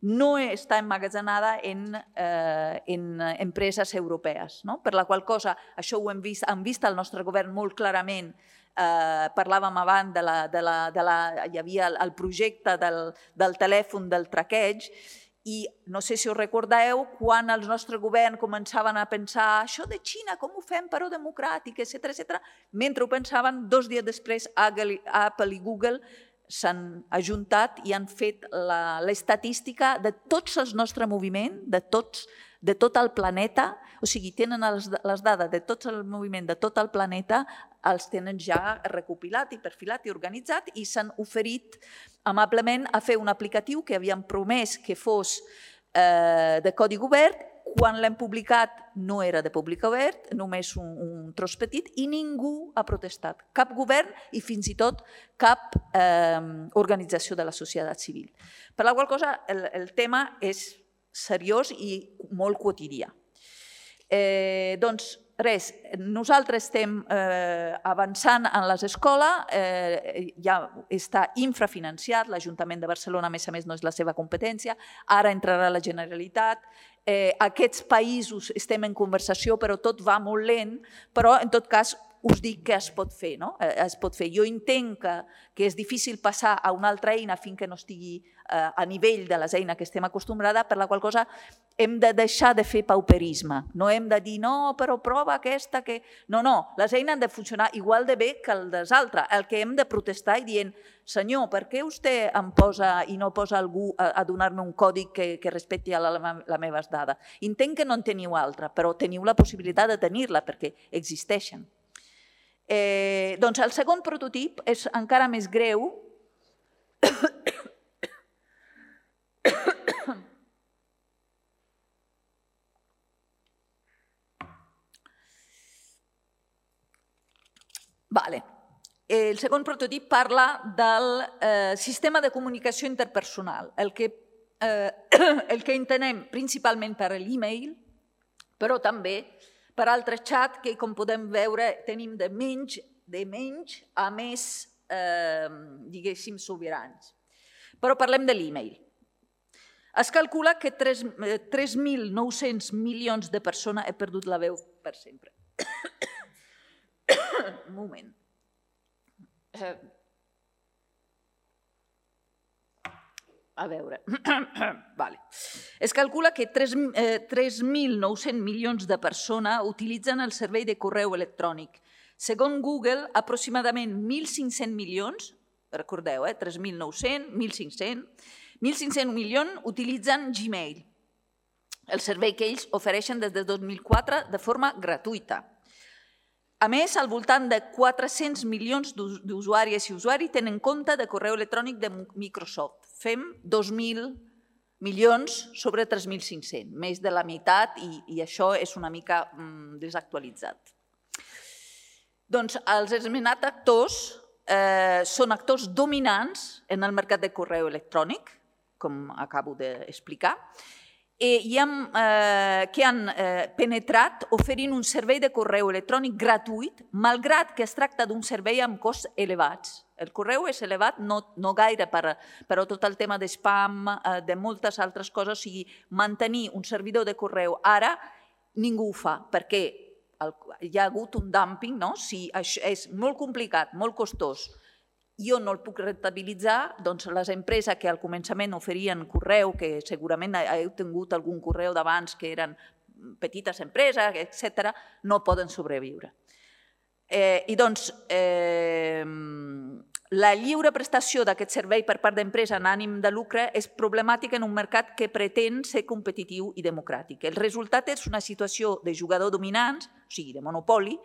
no està emmagatzemada en empreses europees, per la qual cosa, això ho hem vist, han vist el nostre govern molt clarament. Parlàvem abans de la... hi havia el projecte del telèfon del traqueig i no sé si us recordeu quan el nostre govern començaven a pensar això de Xina, com ho fem però democràtic, etcètera. Mentre ho pensaven, dos dies després Apple i Google s'han ajuntat i han fet l'estadística de tots els nostres moviments, de tot el planeta, o sigui, tenen les dades de tot el moviment de tot el planeta, els tenen ja recopilat i perfilat i organitzat i s'han oferit amablement a fer un aplicatiu que havien promès que fos de codi obert. Quan l'hem publicat no era de públic obert, només un tros petit, i ningú ha protestat, cap govern i fins i tot cap organització de la societat civil. Per la qual cosa el tema és seriós i molt quotidià. Doncs res, nosaltres estem avançant en les escoles, ja està infrafinanciat, l'Ajuntament de Barcelona a més a més no és la seva competència, ara entrarà la Generalitat. Aquests països estem en conversació però tot va molt lent, però en tot cas us dic que es pot fer. Jo entenc que és difícil passar a una altra eina fins que no estigui a nivell de les eines que estem acostumbrades, per la qual cosa hem de deixar de fer pauperisme. No hem de dir, no, però prova aquesta que... No, no, les eines han de funcionar igual de bé que les altres. El que hem de protestar i dient, senyor, per què vostè em posa i no posa algú a donar-me un codi que respecti les meves dades? Entenc que no en teniu altra, però teniu la possibilitat de tenir-la perquè existeixen. Doncs el segon prototip és encara més greu. El segon prototip parla del sistema de comunicació interpersonal, el que entenem principalment per l'e-mail, però també per altres xats que, com podem veure, tenim de menys a més, diguéssim, sobirans. Però parlem de l'e-mail. Es calcula que tres mil nou-cents milions de persones... He perdut la veu per sempre. Un moment. A veure, es calcula que tres mil nou-cents milions de persones utilitzen el servei de correu electrònic. Segons Google, aproximadament mil cinc-cents milions, recordeu, tres mil nou-cents, mil cinc-cents, mil cinc-cents milions utilitzen Gmail, el servei que ells ofereixen des de dos mil quatre de forma gratuïta. A més, al voltant de quatre-cents milions d'usuàries i usuaris tenen compte de correu electrònic de Microsoft. Fem dos mil milions sobre tres mil cinc-cents, més de la meitat, i això és una mica desactualitzat. Doncs els esmentats actors són actors dominants en el mercat de correu electrònic, com acabo d'explicar, i que han penetrat oferint un servei de correu electrònic gratuït, malgrat que es tracta d'un servei amb costs elevats. El correu és elevat, no gaire, però tot el tema de spam, de moltes altres coses, o sigui, mantenir un servidor de correu ara ningú ho fa, perquè hi ha hagut un dumping, si és molt complicat, molt costós, jo no el puc rentabilitzar, doncs les empreses que al començament oferien correu, que segurament heu tingut algun correu d'abans que eren petites empreses, etcètera, no poden sobreviure. I doncs La lliure prestació d'aquest servei per part d'empresa en ànim de lucre és problemàtica en un mercat que pretén ser competitiu i democràtic. El resultat és una situació de jugador dominants, o sigui, de monopoli,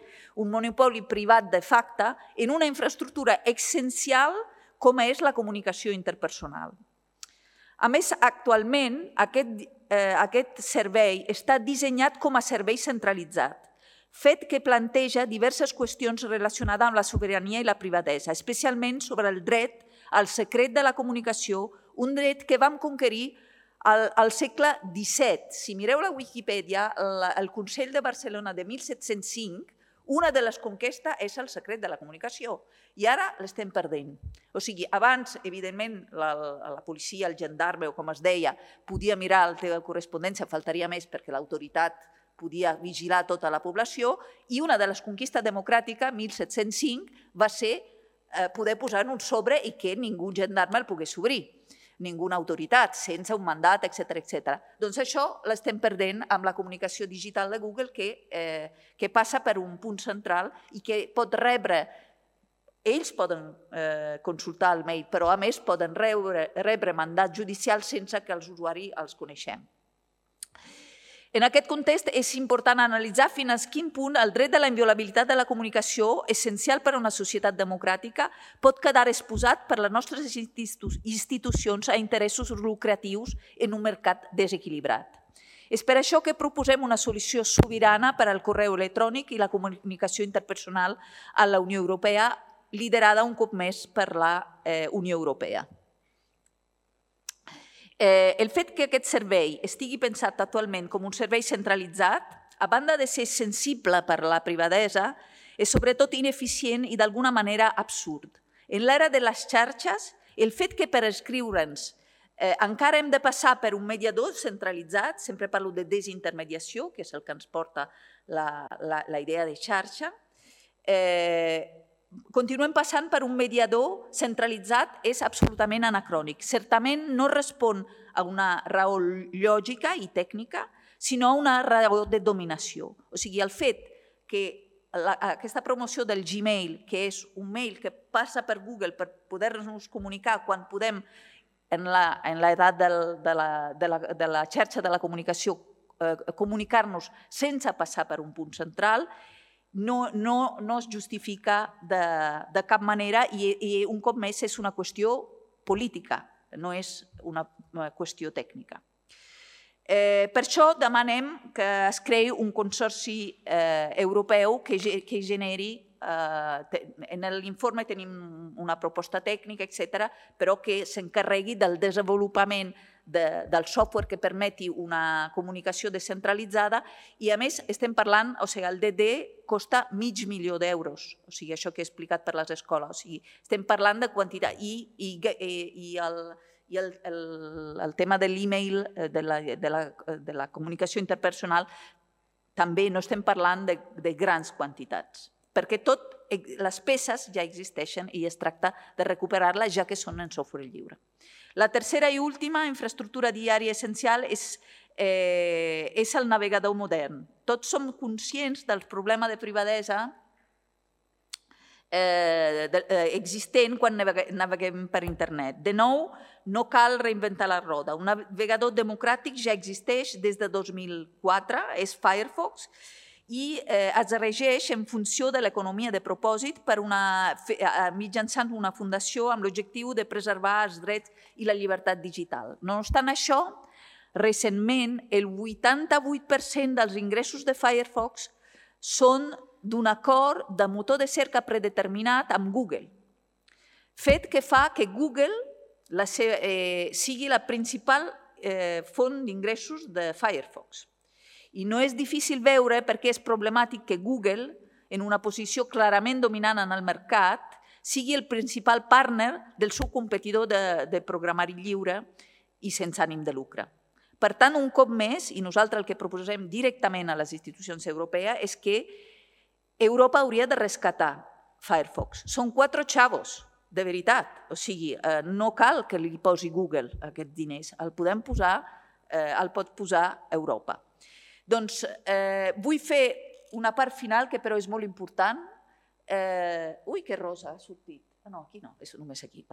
un monopoli privat de facto en una infraestructura essencial com és la comunicació interpersonal. A més, actualment, aquest, eh, aquest servei està dissenyat com a servei centralitzat, fet que planteja diverses qüestions relacionades amb la sobirania i la privadesa, especialment sobre el dret al secret de la comunicació, un dret que vam conquerir al, al segle disset. Si mireu la Wikipedia, el, el Consell de Barcelona de mil set-cents cinc, una de les conquestes és el secret de la comunicació i ara l'estem perdent. O sigui, abans, evidentment, la, la policia, el gendarme o com es deia, podia mirar la teva correspondència, faltaria més perquè l'autoritat podia vigilar tota la població i una de les conquistes democràtiques, mil set-cents cinc, va ser poder posar en un sobre i que ningú gendarme el pogués obrir, ninguna autoritat, sense un mandat, etcètera, etcètera. Doncs això l'estem perdent amb la comunicació digital de Google que, eh, que passa per un punt central i que pot rebre, ells poden eh, consultar el mail, però a més poden rebre, rebre mandats judicials sense que els usuaris els coneixem. En aquest context és important analitzar fins a quin punt el dret de la inviolabilitat de la comunicació, essencial per a una societat democràtica, pot quedar exposat per les nostres institucions a interessos lucratius en un mercat desequilibrat. És per això que proposem una solució sobirana per al correu electrònic i la comunicació interpersonal a la Unió Europea, liderada un cop més per la Unió Europea. El fet que aquest servei estigui pensat actualment com un servei centralitzat, a banda de ser sensible per la privadesa, és sobretot ineficient i d'alguna manera absurd. En l'era de les xarxes, el fet que per escriure'ns encara hem de passar per un mediador centralitzat, sempre parlo de desintermediació, que és el que ens porta la idea de xarxa, continuem passant per un mediador centralitzat, és absolutament anacrònic. Certament no respon a una raó lògica i tècnica, sinó a una raó de dominació. O sigui, el fet que aquesta promoció del Gmail, que és un mail que passa per Google per poder-nos comunicar quan podem, en l'edat de la xarxa de la comunicació, comunicar-nos sense passar per un punt central, no es justifica de cap manera i un cop més és una qüestió política, no és una qüestió tècnica. Per això demanem que es creï un consorci europeu que generi, en l'informe tenim una proposta tècnica, etcètera, però que s'encarregui del desenvolupament del software que permeti una comunicació descentralitzada i, a més, estem parlant, o sigui, el D D costa mig milió d'euros, o sigui, això que he explicat per les escoles, o sigui, estem parlant de quantitat i el tema de l'e-mail, de la comunicació interpersonal, també no estem parlant de grans quantitats, perquè totes les peces ja existeixen i es tracta de recuperar-les ja que són en software lliure. La tercera i última infraestructura diària essencial és el navegador modern. Tots som conscients del problema de privadesa existent quan naveguem per internet. De nou, no cal reinventar la roda. Un navegador democràtic ja existeix des de dos mil quatre, és Firefox, i es regeix en funció de l'economia de propòsit mitjançant una fundació amb l'objectiu de preservar els drets i la llibertat digital. No obstant això, recentment el vuitanta-vuit per cent dels ingressos de Firefox són d'un acord de motor de cerca predeterminat amb Google, fet que fa que Google sigui la principal font d'ingressos de Firefox. I no és difícil veure per què és problemàtic que Google, en una posició clarament dominant en el mercat, sigui el principal partner del seu competidor de programari lliure i sense ànim de lucre. Per tant, un cop més, i nosaltres el que proposem directament a les institucions europees és que Europa hauria de rescatar Firefox. Són quatre xavos, de veritat. O sigui, no cal que li posi Google aquests diners. El podem posar, el pot posar Europa. Doncs vull fer una part final que però és molt important. Ui, que rosa ha sortit. No, aquí no, és només aquí.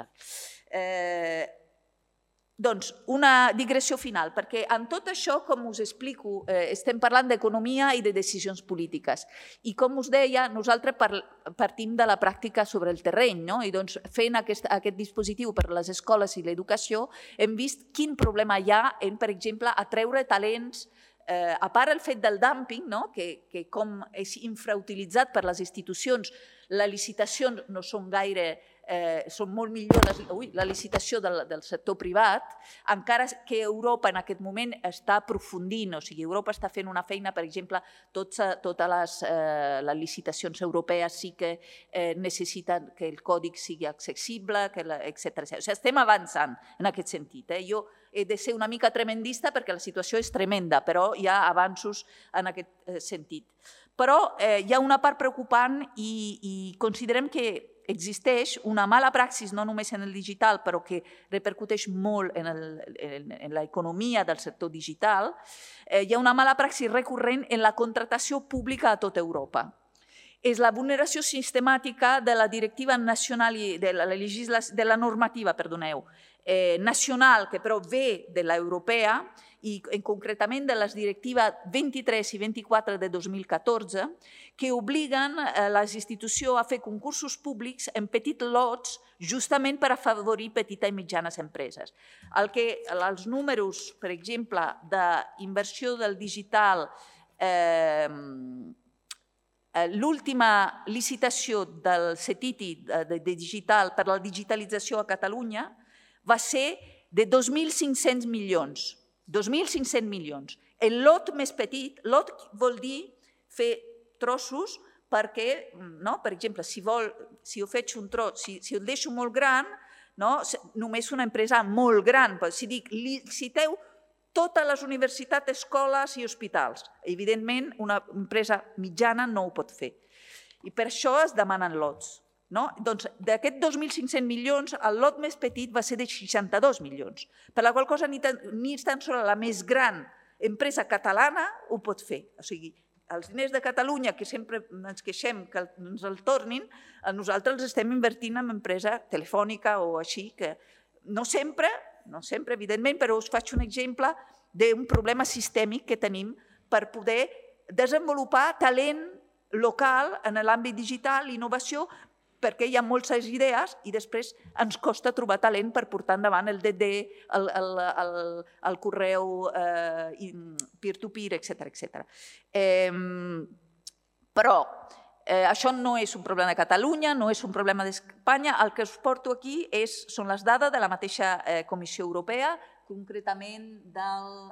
Doncs una digressió final, perquè en tot això, com us explico, estem parlant d'economia i de decisions polítiques. I com us deia, nosaltres partim de la pràctica sobre el terreny, i doncs fent aquest dispositiu per a les escoles i l'educació hem vist quin problema hi ha en, per exemple, atreure talents, a part el fet del dumping, que com és infrautilitzat per les institucions, les licitacions no són gaire, són molt millor, la licitació del sector privat, encara que Europa en aquest moment està aprofundint, o sigui, Europa està fent una feina, per exemple, totes les licitacions europees sí que necessiten que el còdic sigui accessible, etcètera. O sigui, estem avançant en aquest sentit. Jo he de ser una mica tremendista perquè la situació és tremenda, però hi ha avanços en aquest sentit. Però hi ha una part preocupant i considerem que existeix una mala praxis, no només en el digital, però que repercuteix molt en l'economia del sector digital. Hi ha una mala praxis recurrent en la contractació pública a tota Europa. És la vulneració sistemàtica de la directiva nacional i de la normativa, perdoneu, nacional, que però ve de l'europea, i concretament de les directives vint-i-tres i vint-i-quatre de dos mil catorze, que obliguen les institucions a fer concursos públics en petits lots justament per afavorir petites i mitjanes empreses. Els números, per exemple, d'inversió del digital, l'última licitació del CETITI de digital per la digitalització a Catalunya va ser de dos mil cinc-cents milions. dos mil cinc-cents milions. El lot més petit, lot vol dir fer trossos perquè, per exemple, si jo faig un tros, si el deixo molt gran, només una empresa molt gran, si dic, liciteu totes les universitats, escoles i hospitals. Evidentment, una empresa mitjana no ho pot fer. I per això es demanen lots. Doncs d'aquests dos mil cinc-cents milions, el lot més petit va ser de seixanta-dos milions, per la qual cosa ni tan sols la més gran empresa catalana ho pot fer. O sigui, els diners de Catalunya, que sempre ens queixem que ens el tornin, nosaltres els estem invertint en empresa telefònica o així, que no sempre, no sempre, evidentment, però us faig un exemple d'un problema sistèmic que tenim per poder desenvolupar talent local en l'àmbit digital, innovació, perquè hi ha moltes idees i després ens costa trobar talent per portar endavant el D D, el correu peer-to-peer, etcètera. Però això no és un problema de Catalunya, no és un problema d'Espanya. El que us porto aquí són les dades de la mateixa Comissió Europea, concretament del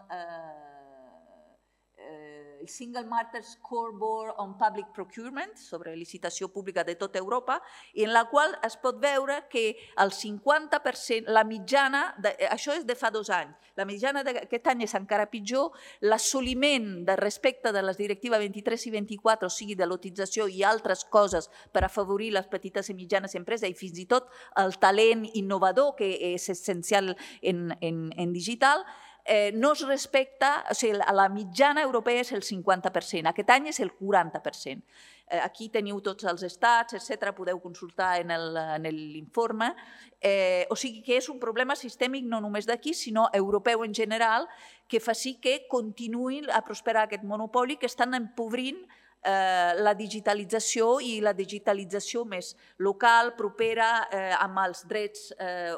el Single Market Scoreboard on Public Procurement, sobre licitació pública de tota Europa, i en la qual es pot veure que el cinquanta per cent, la mitjana, això és de fa dos anys, la mitjana d'aquest any és encara pitjor, l'assoliment de respecte de les directives vint-i-tres i vint-i-quatre, o sigui, de lotització i altres coses per afavorir les petites i mitjanes empreses i fins i tot el talent innovador, que és essencial en digital, no es respecta, o sigui, la mitjana europea és el cinquanta per cent, aquest any és el quaranta per cent. Aquí teniu tots els estats, etcètera, podeu consultar en l'informe. O sigui que és un problema sistèmic no només d'aquí, sinó europeu en general, que fa sí que continuï a prosperar aquest monopoli que estan empobrint la digitalització i la digitalització més local, propera, amb els drets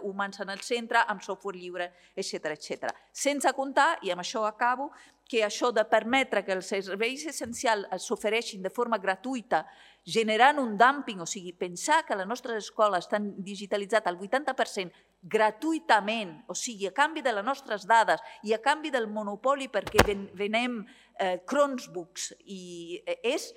humans en el centre, amb software lliure, etcètera. Sense comptar, i amb això acabo, que això de permetre que els serveis essencials s'ofereixin de forma gratuïta, generant un dumping, o sigui, pensar que les nostres escoles estan digitalitzades al vuitanta per cent gratuïtament, o sigui, a canvi de les nostres dades i a canvi del monopoli perquè venem Chromebooks, i és,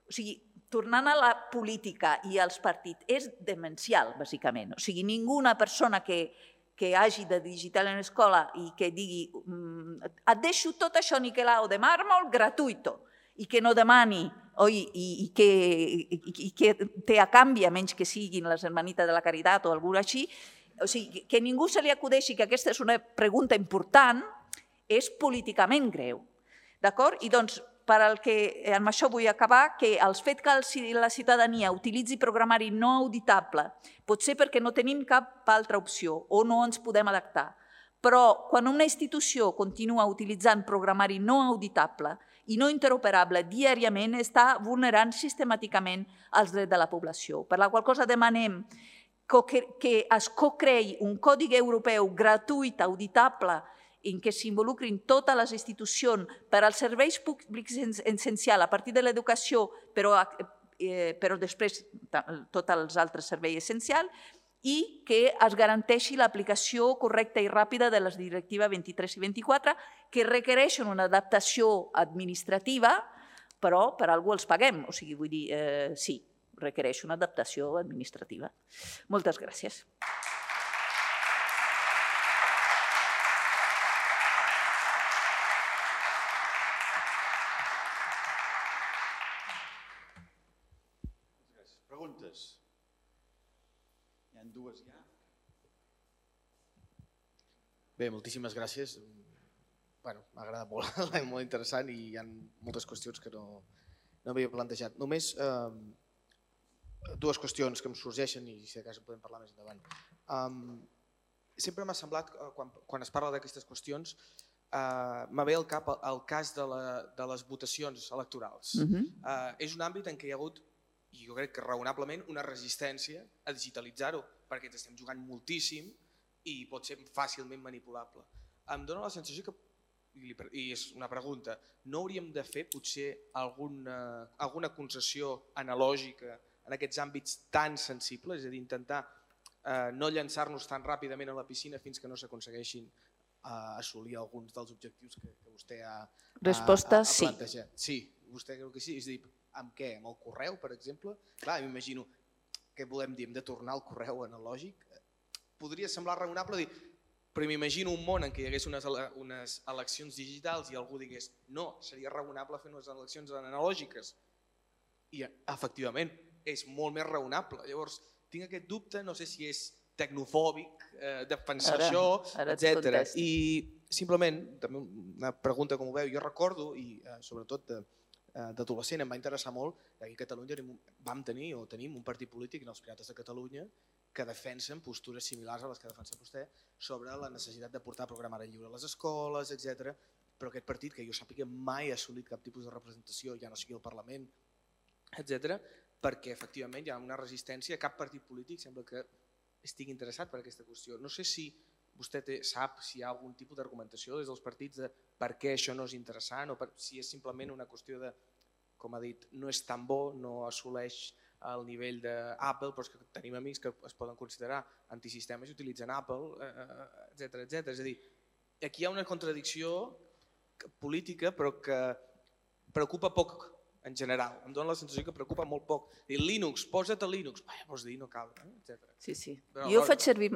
o sigui, tornant a la política i als partits, és demencial, bàsicament. O sigui, ninguna persona que que hagi de digital en escola i que digui et deixo tot això niquelado de màrmol gratuïto i que no demani i que té a canvi, a menys que siguin les hermanites de la caritat o alguna així, o sigui, que ningú se li acudeixi que aquesta és una pregunta important, és políticament greu. D'acord? I doncs per al que, amb això vull acabar, que el fet que la ciutadania utilitzi programari no auditable pot ser perquè no tenim cap altra opció o no ens podem adaptar. Però quan una institució continua utilitzant programari no auditable i no interoperable diàriament, està vulnerant sistemàticament els drets de la població. Per la qual cosa demanem que es co-creï un codi europeu gratuït, auditable, en què s'involucrin totes les institucions per als serveis públics essencials a partir de l'educació, però després tots els altres serveis essencials, i que es garanteixi l'aplicació correcta i ràpida de les directives vint-i-tres i vint-i-quatre, que requereixen una adaptació administrativa, però per algú els paguem. O sigui, vull dir, sí, requereix una adaptació administrativa. Moltes gràcies. Preguntes? Hi ha dues ja. Bé, moltíssimes gràcies. M'ha agradat molt, és molt interessant i hi ha moltes qüestions que no m'havia plantejat. Només dues qüestions que em sorgeixen i si de cas en podem parlar més endavant. Sempre m'ha semblat, quan es parla d'aquestes qüestions, m'ha ve al cap el cas de les votacions electorals. És un àmbit en què hi ha hagut, i jo crec que raonablement, una resistència a digitalitzar-ho, perquè ens estem jugant moltíssim i pot ser fàcilment manipulable. Em dóna la sensació que, i és una pregunta, no hauríem de fer potser alguna concessió analògica en aquests àmbits tan sensibles, és a dir, intentar no llançar-nos tan ràpidament a la piscina fins que no s'aconsegueixin assolir alguns dels objectius que vostè ha plantejat. Resposta sí. Sí, vostè creu que sí. És a dir, amb què? Amb el correu, per exemple? Clar, m'imagino, què volem dir? Hem de tornar al correu analògic? Podria semblar raonable dir, però m'imagino un món en què hi hagués unes eleccions digitals i algú digués no, seria raonable fer unes eleccions analògiques. I efectivament, és molt més raonable. Llavors, tinc aquest dubte, no sé si és tecnofòbic, de pensar això, etcètera. I simplement, també una pregunta com ho veu, jo recordo, i sobretot d'adolescent em va interessar molt, que aquí a Catalunya vam tenir o tenim un partit polític, els Pirates de Catalunya, que defensen postures similars a les que defensa vostè sobre la necessitat de portar programari lliure a les escoles, etcètera. Però aquest partit, que jo sàpiga, mai ha assolit cap tipus de representació, ja no sigui al Parlament, etcètera, perquè efectivament hi ha una resistència, cap partit polític sembla que estigui interessat per aquesta qüestió. No sé si vostè sap si hi ha algun tipus d'argumentació des dels partits de per què això no és interessant o si és simplement una qüestió de, com ha dit, no és tan bo, no assoleix el nivell d'Apple, però és que tenim amics que es poden considerar antisistemes i utilitzen Apple, etcètera, etcètera. És a dir, aquí hi ha una contradicció política però que preocupa poc en general. Em dóna la sensació que preocupa molt poc. Linux, posa't a Linux. Vols dir, no cal, etcètera. Sí, sí. Jo faig servir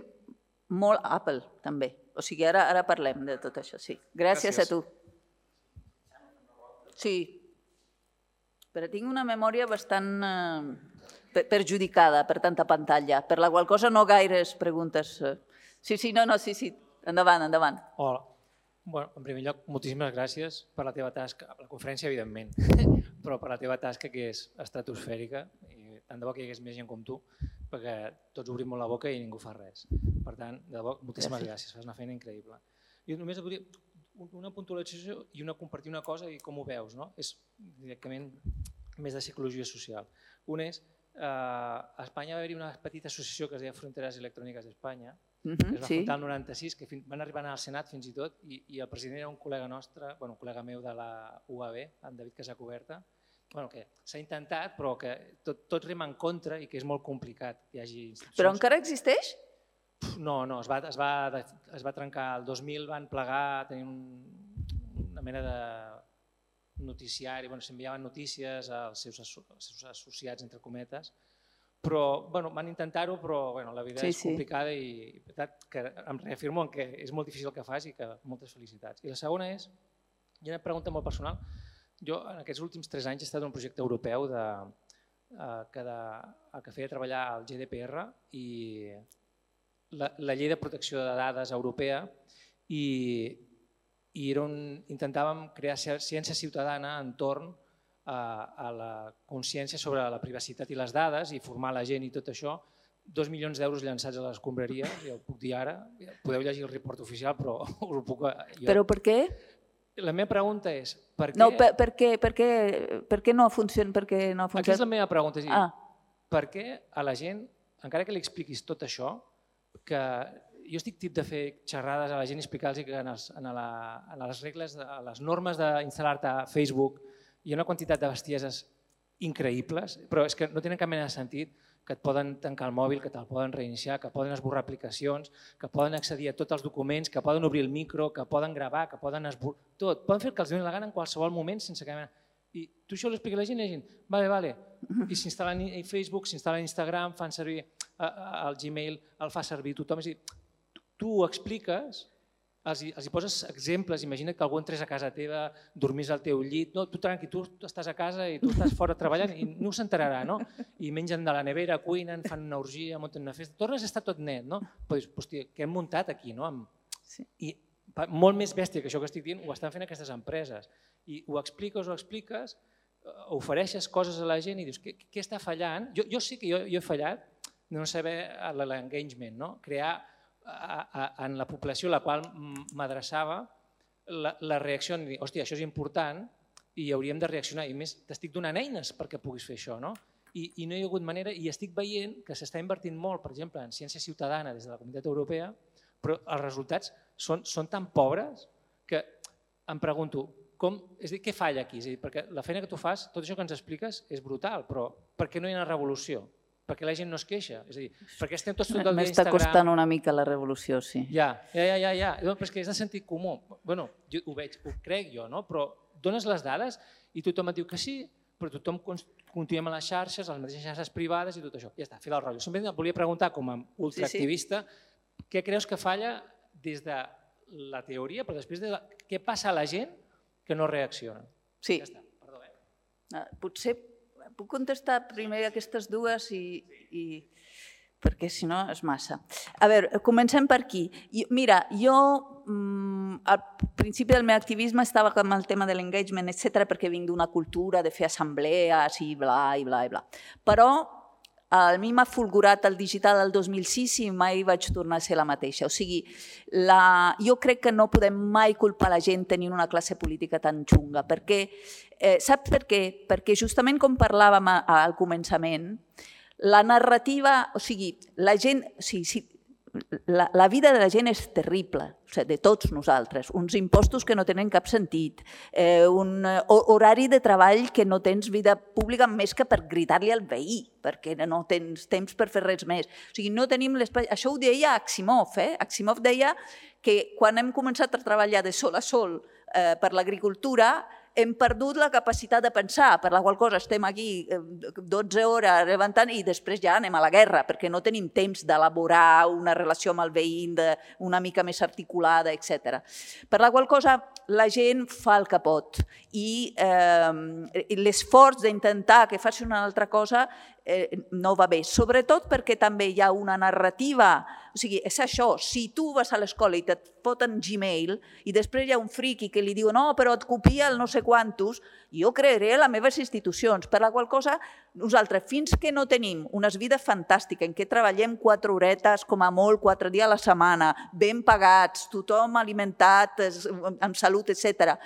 molt Apple, també. O sigui, ara parlem de tot això, sí. Gràcies a tu. Sí. Però tinc una memòria bastant perjudicada per tanta pantalla, per la qual cosa no gaires preguntes. Sí, sí, no, no, sí, sí. Endavant, endavant. Hola. En primer lloc, moltíssimes gràcies per la teva tasca, la conferència, evidentment, però per la teva tasca que és estratosfèrica i tant de bo que hi hagués més gent com tu, perquè tots obrim molt la boca i ningú fa res. Per tant, de debò, moltíssimes gràcies, fas una feina increïble. Jo només volia una puntualització i compartir una cosa i com ho veus, no? És directament més de psicologia social. Un és, a Espanya va haver-hi una petita associació que es deia Fronteres Electròniques d'Espanya, que es va fundar el noranta-sis, que van arribar al Senat fins i tot, i el president era un col·lega nostre, un col·lega meu de la U A B, en David Casacuberta, que s'ha intentat però que tot rema en contra i que és molt complicat que hi hagi institucions. Però encara existeix? No, no, es va trencar. El dos mil van plegar, tenien una mena de noticiari, s'enviaven notícies als seus associats, entre cometes, però van intentar-ho, però la vida és complicada i em reafirmo que és molt difícil el que fas i que moltes felicitats. I la segona és, hi ha una pregunta molt personal, jo en aquests últims tres anys he estat en un projecte europeu que feia treballar el G D P R i la llei de protecció de dades europea i i era un, intentàvem crear ciència ciutadana entorn a, a la consciència sobre la privacitat i les dades i formar la gent i tot això. Dos milions d'euros llançats a les escombraries, ja ho puc dir ara, podeu llegir el report oficial, però us ho puc... Jo. Però per què? La meva pregunta és... Per què... No, per, per, què, per, què, per què no funciona? Per què no funciona? Aquí és la meva pregunta, és dir, ah. per què a la gent, encara que li expliquis tot això, que jo estic tip de fer xerrades a la gent i explicar-los que en, els, en, la, en les regles, a les normes d'instal·lar-te a Facebook hi ha una quantitat de bestieses increïbles, però és que no tenen cap mena de sentit, que et poden tancar el mòbil, que te'l poden reiniciar, que poden esborrar aplicacions, que poden accedir a tots els documents, que poden obrir el micro, que poden gravar, que poden esborrar... Tot. Poden fer el que els doni la gana en qualsevol moment sense cap mena... I tu això ho expliques a la gent i la gent, vale, vale. I s'instal·len a Facebook, s'instal·len a Instagram, fan servir el Gmail, el fa servir tothom. És a dir, tu ho expliques, els hi, els hi poses exemples, imagina't que algú entrés a casa teva, dormís al teu llit, no, tu tranqui, tu estàs a casa i tu estàs fora treballant i no s'enterarà, no? I mengen de la nevera, cuinen, fan una orgia, munten una festa, tornes a estar tot net, no? Però dius, hòstia, què hem muntat aquí, no? Sí. I molt més bèstia que això que estic dient ho estan fent aquestes empreses. I ho expliques, ho expliques, ofereixes coses a la gent i dius, què, què està fallant? Jo, jo sí que jo, jo he fallat de no saber l'engagement, no? Crear a, a, en la població a la qual m'adreçava la, la reacció de dir, hòstia, això és important i hauríem de reaccionar. I més, t'estic donant eines perquè puguis fer això, no? I, i no hi ha hagut manera, i estic veient que s'està invertint molt, per exemple, en ciència ciutadana des de la Comunitat Europea, però els resultats són, són tan pobres que em pregunto, com, és a dir, què falla aquí? És a dir, perquè la feina que tu fas, tot això que ens expliques és brutal, però per què no hi ha una revolució? Perquè la gent no es queixa? És a dir, perquè estem tots tot el dia a Instagram... M'està costant una mica la revolució, sí. Ja, ja, ja, ja, ja. Però és que és de sentit comú. Bueno, jo ho veig, ho crec jo, no? Però dones les dades i tothom et diu que sí, però tothom continuem a les xarxes, a les mateixes xarxes privades i tot això. Ja està, fi del rotllo. Sempre et volia preguntar, com a ultraactivista, què creus que falla des de la teoria, però després de la... què passa a la gent que no reacciona? Sí. Ja està, perdó, eh? Potser puc contestar primer aquestes dues i, i perquè si no és massa. A veure, comencem per aquí. Mira, jo al principi del meu activisme estava amb el tema de l'engagement, etcètera, perquè vinc d'una cultura de fer assemblees i bla, i bla, i bla. Però a mi m'ha fulgurat el digital del dos mil sis i mai vaig tornar a ser la mateixa. O sigui, la... jo crec que no podem mai culpar la gent tenint una classe política tan xunga, perquè, eh, saps per què? Perquè justament com parlàvem al començament, la narrativa, o sigui, la gent, o sigui, si, la, la vida de la gent és terrible, o sigui, de tots nosaltres, uns impostos que no tenen cap sentit, eh, un horari de treball que no tens vida pública més que per gritar-li al veí, perquè no tens temps per fer res més. O sigui, no tenim l'espai... Això ho deia Asimov, eh? Asimov deia que quan hem començat a treballar de sol a sol eh, per l'agricultura, hem perdut la capacitat de pensar, per la qual cosa estem aquí dotze hores levantant i després ja anem a la guerra, perquè no tenim temps d'elaborar una relació amb el veí una mica més articulada, etcètera. Per la qual cosa la gent fa el que pot i eh, l'esforç d'intentar que faci una altra cosa eh, no va bé, sobretot perquè també hi ha una narrativa, o sigui, és això, si tu vas a l'escola i et foten Gmail i després hi ha un friqui que li diu no, però et copia el no sé quantos, jo crearé les meves institucions, per la qual cosa nosaltres fins que no tenim unes vides fantàstiques en què treballem quatre horetes, com a molt, quatre dies a la setmana, ben pagats, tothom alimentat, amb salut, etcètera,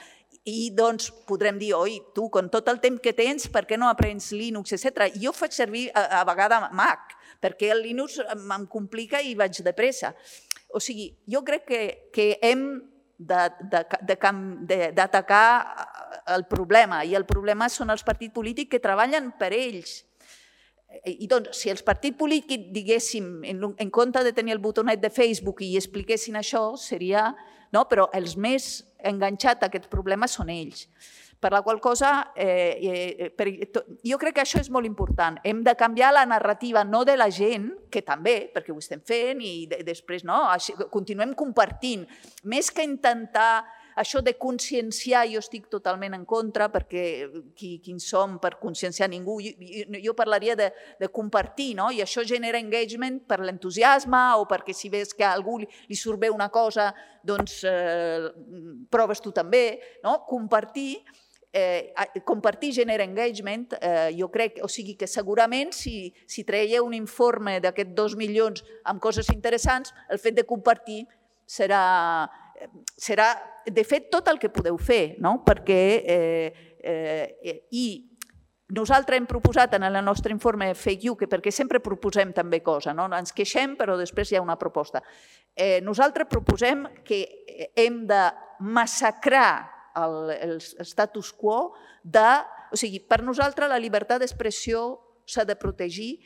i doncs podrem dir, oi, tu, con tot el temps que tens, per què no aprens Linux, etcètera. Jo faig servir a, a vegades Mac, perquè el Linux em complica i vaig de pressa. O sigui, jo crec que, que hem d'atacar el problema, i el problema són els partits polítics que treballen per ells. I doncs, si els partits polítics diguéssim, en, en compte de tenir el botonet de Facebook i expliquessin això, seria... No? Però els més enganxats a aquests problemes són ells. Per la qual cosa, eh, per, jo crec que això és molt important. Hem de canviar la narrativa, no de la gent, que també, perquè ho estem fent, i de, després no, així, continuem compartint. Més que intentar això de conscienciar jo estic totalment en contra, perquè qui, qui som per conscienciar ningú, jo, jo parlaria de, de compartir, no? I això genera engagement per l'entusiasme o perquè si ves que a algú li, li surt bé una cosa, doncs eh, proves tu també, no? Compartir, Eh, compartir genera engagement, eh, jo crec, o sigui que segurament si, si traieu un informe d'aquests dos milions amb coses interessants, el fet de compartir serà, serà de fet tot el que podeu fer, no? Perquè eh, eh, i nosaltres hem proposat en el nostre informe Fake You, que perquè sempre proposem també cosa, no? Ens queixem però després hi ha una proposta. Eh, nosaltres proposem que hem de massacrar El, el status quo de... O sigui, per nosaltres la llibertat d'expressió s'ha de protegir.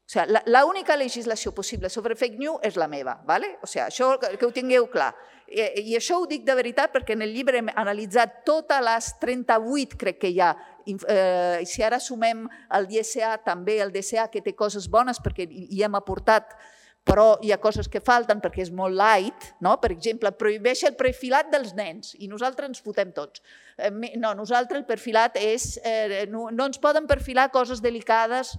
O sigui, l'única legislació possible sobre fake news és la meva, ¿vale? O sigui, això que ho tingueu clar. I, I això ho dic de veritat perquè en el llibre hem analitzat totes les trenta-vuit, crec que hi ha, eh, i si ara sumem el D S A, també el D S A, que té coses bones perquè hi hem aportat, però hi ha coses que falten perquè és molt light, no? Per exemple, prohibeix el perfilat dels nens i nosaltres ens fotem tots. No, nosaltres el perfilat és... Eh, no, no ens poden perfilar coses delicades,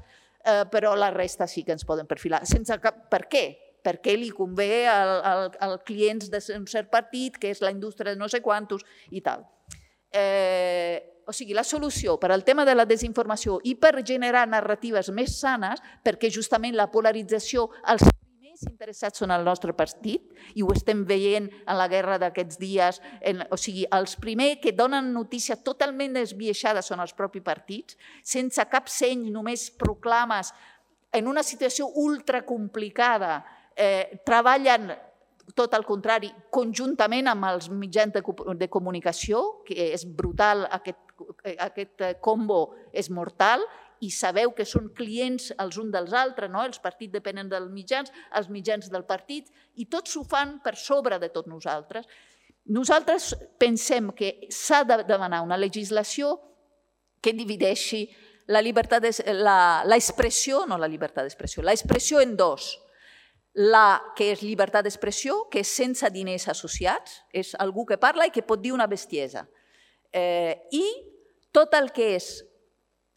eh, però la resta sí que ens poden perfilar. Sense cap... Per què? Perquè li convé als clients d'un cert partit, que és la indústria de no sé quantos i tal. Eh, o sigui, la solució per al tema de la desinformació i per generar narratives més sanes, perquè justament la polarització... Els més interessats són el nostre partit i ho estem veient en la guerra d'aquests dies. O sigui, els primers que donen notícies totalment desvieixades són els propis partits, sense cap seny, només proclames, en una situació ultra complicada, eh, treballen tot el contrari, conjuntament amb els mitjans de, de comunicació, que és brutal, aquest, aquest combo és mortal, i sabeu que són clients els uns dels altres, no? Els partits depenen dels mitjans, els mitjans del partit, i tots ho fan per sobre de tots nosaltres. Nosaltres pensem que s'ha de demanar una legislació que divideixi l'expressió, no la llibertat d'expressió, l'expressió en dos. La que és llibertat d'expressió, que és sense diners associats, és algú que parla i que pot dir una bestiesa. Eh, I tot el que és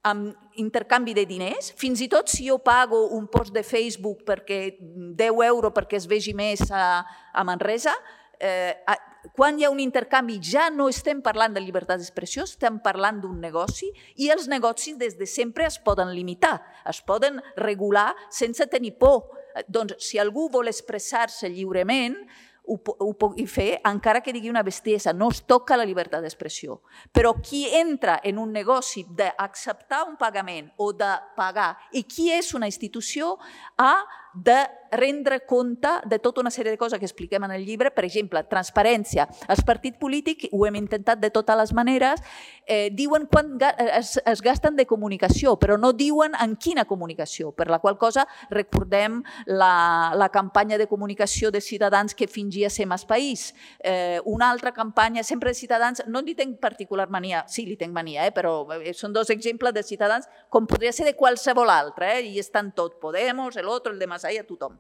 amb intercanvi de diners, fins i tot si jo pago un post de Facebook perquè deu euros perquè es vegi més a, a Manresa, eh, quan hi ha un intercanvi ja no estem parlant de llibertat d'expressió, estem parlant d'un negoci i els negocis des de sempre es poden limitar, es poden regular sense tenir por. Doncs si algú vol expressar-se lliurement, ho pugui fer, encara que digui una bestiesa, no es toca la llibertat d'expressió. Però qui entra en un negoci d'acceptar un pagament o de pagar i qui és una institució ha de rendre compte de tota una sèrie de coses que expliquem en el llibre, per exemple, transparència. Els partits polítics, ho hem intentat de totes les maneres, eh, diuen quan es, es gasten de comunicació, però no diuen en quina comunicació, per la qual cosa recordem la, la campanya de comunicació de Ciutadans que fingia ser Mas País. Eh, una altra campanya, sempre de Ciutadans, no li tenc particular mania, sí, li tenc mania, eh, però són dos exemples de Ciutadans, com podria ser de qualsevol altre, eh, i estan tot, Podemos, el otro, el de Masaya, tothom.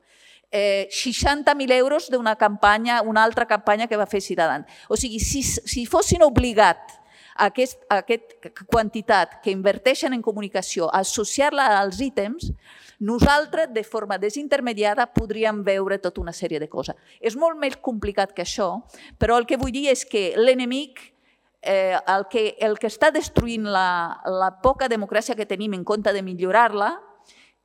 Eh, seixanta mil euros d'una campanya, una altra campanya que va fer Ciutadans. O sigui, si, si fossin obligats a aquest, a aquesta quantitat que inverteixen en comunicació, a associar-la als ítems, nosaltres, de forma desintermediada, podríem veure tota una sèrie de coses. És molt més complicat que això, però el que vull dir és que l'enemic, eh, el, que, el que està destruint la, la poca democràcia que tenim en compte de millorar-la,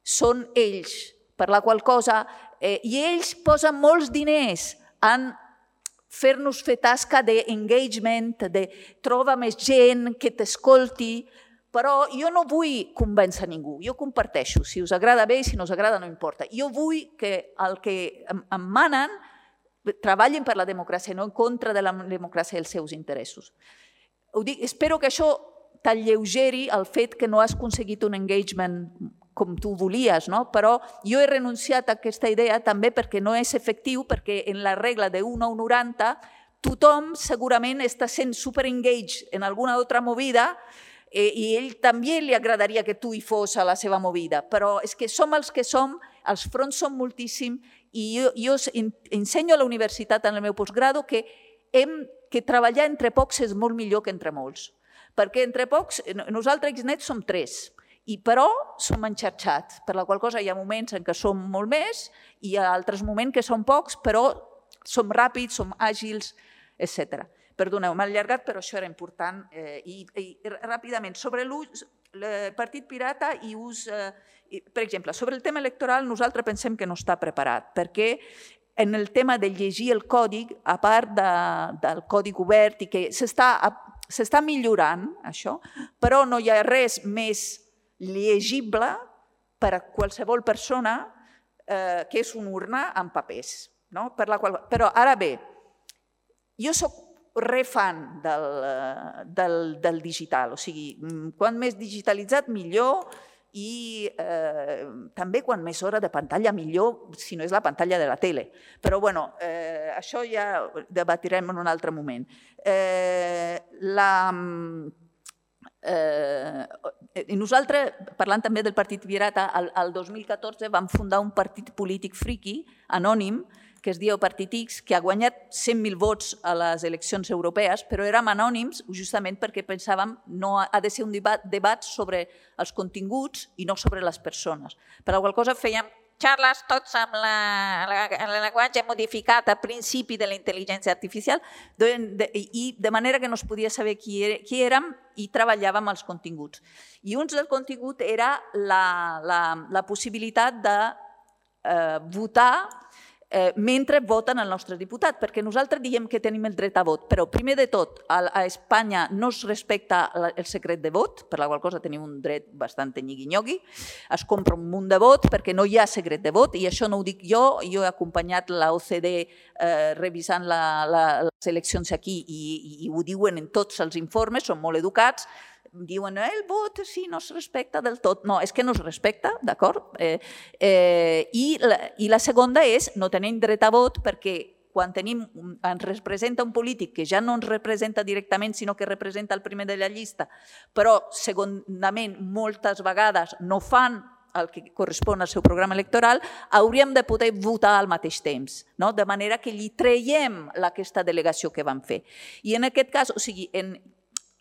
són ells, per la qual cosa, eh, i ells posen molts diners en fer-nos fer tasca d'engagement, de trobar més gent que t'escolti, però jo no vull convèncer ningú, jo comparteixo, si us agrada bé i si no us agrada no importa. Jo vull que el que em manen treballin per la democràcia, no en contra de la democràcia i els seus interessos. Ho dic, espero que això t'alleugeri el fet que no has aconseguit un engagement com tu volies, no? Però jo he renunciat a aquesta idea també perquè no és efectiu, perquè en la regla de un a un noranta tothom segurament està sent super-engaged en alguna altra movida eh, i ell també li agradaria que tu hi fos a la seva movida, però és que som els que som, els fronts són moltíssims i jo, jo ensenyo a la universitat en el meu postgrado que hem que treballar entre pocs és molt millor que entre molts. Perquè entre pocs, nosaltres a Xnet som tres, i però som enxarxats, per la qual cosa hi ha moments en què som molt més i hi ha altres moments que som pocs, però som ràpids, som àgils, etcètera. Perdoneu, m'ha allargat, però això era important. I ràpidament, sobre l'ús, el Partit Pirata i ús... Per exemple, sobre el tema electoral nosaltres pensem que no està preparat, perquè en el tema de llegir el codi, a part del codi obert i que s'està millorant això, però no hi ha res més llegible per a qualsevol persona que és una urna amb papers. Però ara bé, jo soc refan del digital, o sigui, quan més digitalitzat millor, i també quan més hora de pantalla millor, si no és la pantalla de la tele. Però bueno, això ja ho debatirem en un altre moment. Nosaltres, parlant també del Partit Pirata, el dos mil catorze vam fundar un partit polític friqui, anònim, que es diu Partit X, que ha guanyat cent mil vots a les eleccions europees, però érem anònims justament perquè pensàvem que no ha de ser un debat sobre els continguts i no sobre les persones. Per la qual cosa fèiem xarles tots amb el llenguatge modificat a principi de la intel·ligència artificial i de manera que no es podia saber qui érem i treballàvem els continguts. I un del contingut era la possibilitat de votar mentre voten el nostre diputat, perquè nosaltres diem que tenim el dret a vot, però primer de tot a Espanya no es respecta el secret de vot, per la qual cosa tenim un dret bastant nyigui-nyogui, es compra un munt de vot perquè no hi ha secret de vot, i això no ho dic jo, jo he acompanyat la O C D revisant les eleccions aquí i ho diuen en tots els informes, són molt educats, diuen el vot sí, no es respecta del tot. No, és que no es respecta, d'acord? I la segona és no tenim dret a vot perquè quan ens representa un polític que ja no ens representa directament sinó que representa el primer de la llista, però segurament moltes vegades no fan el que correspon al seu programa electoral, hauríem de poder votar al mateix temps, de manera que li traiem aquesta delegació que vam fer. I en aquest cas, o sigui, en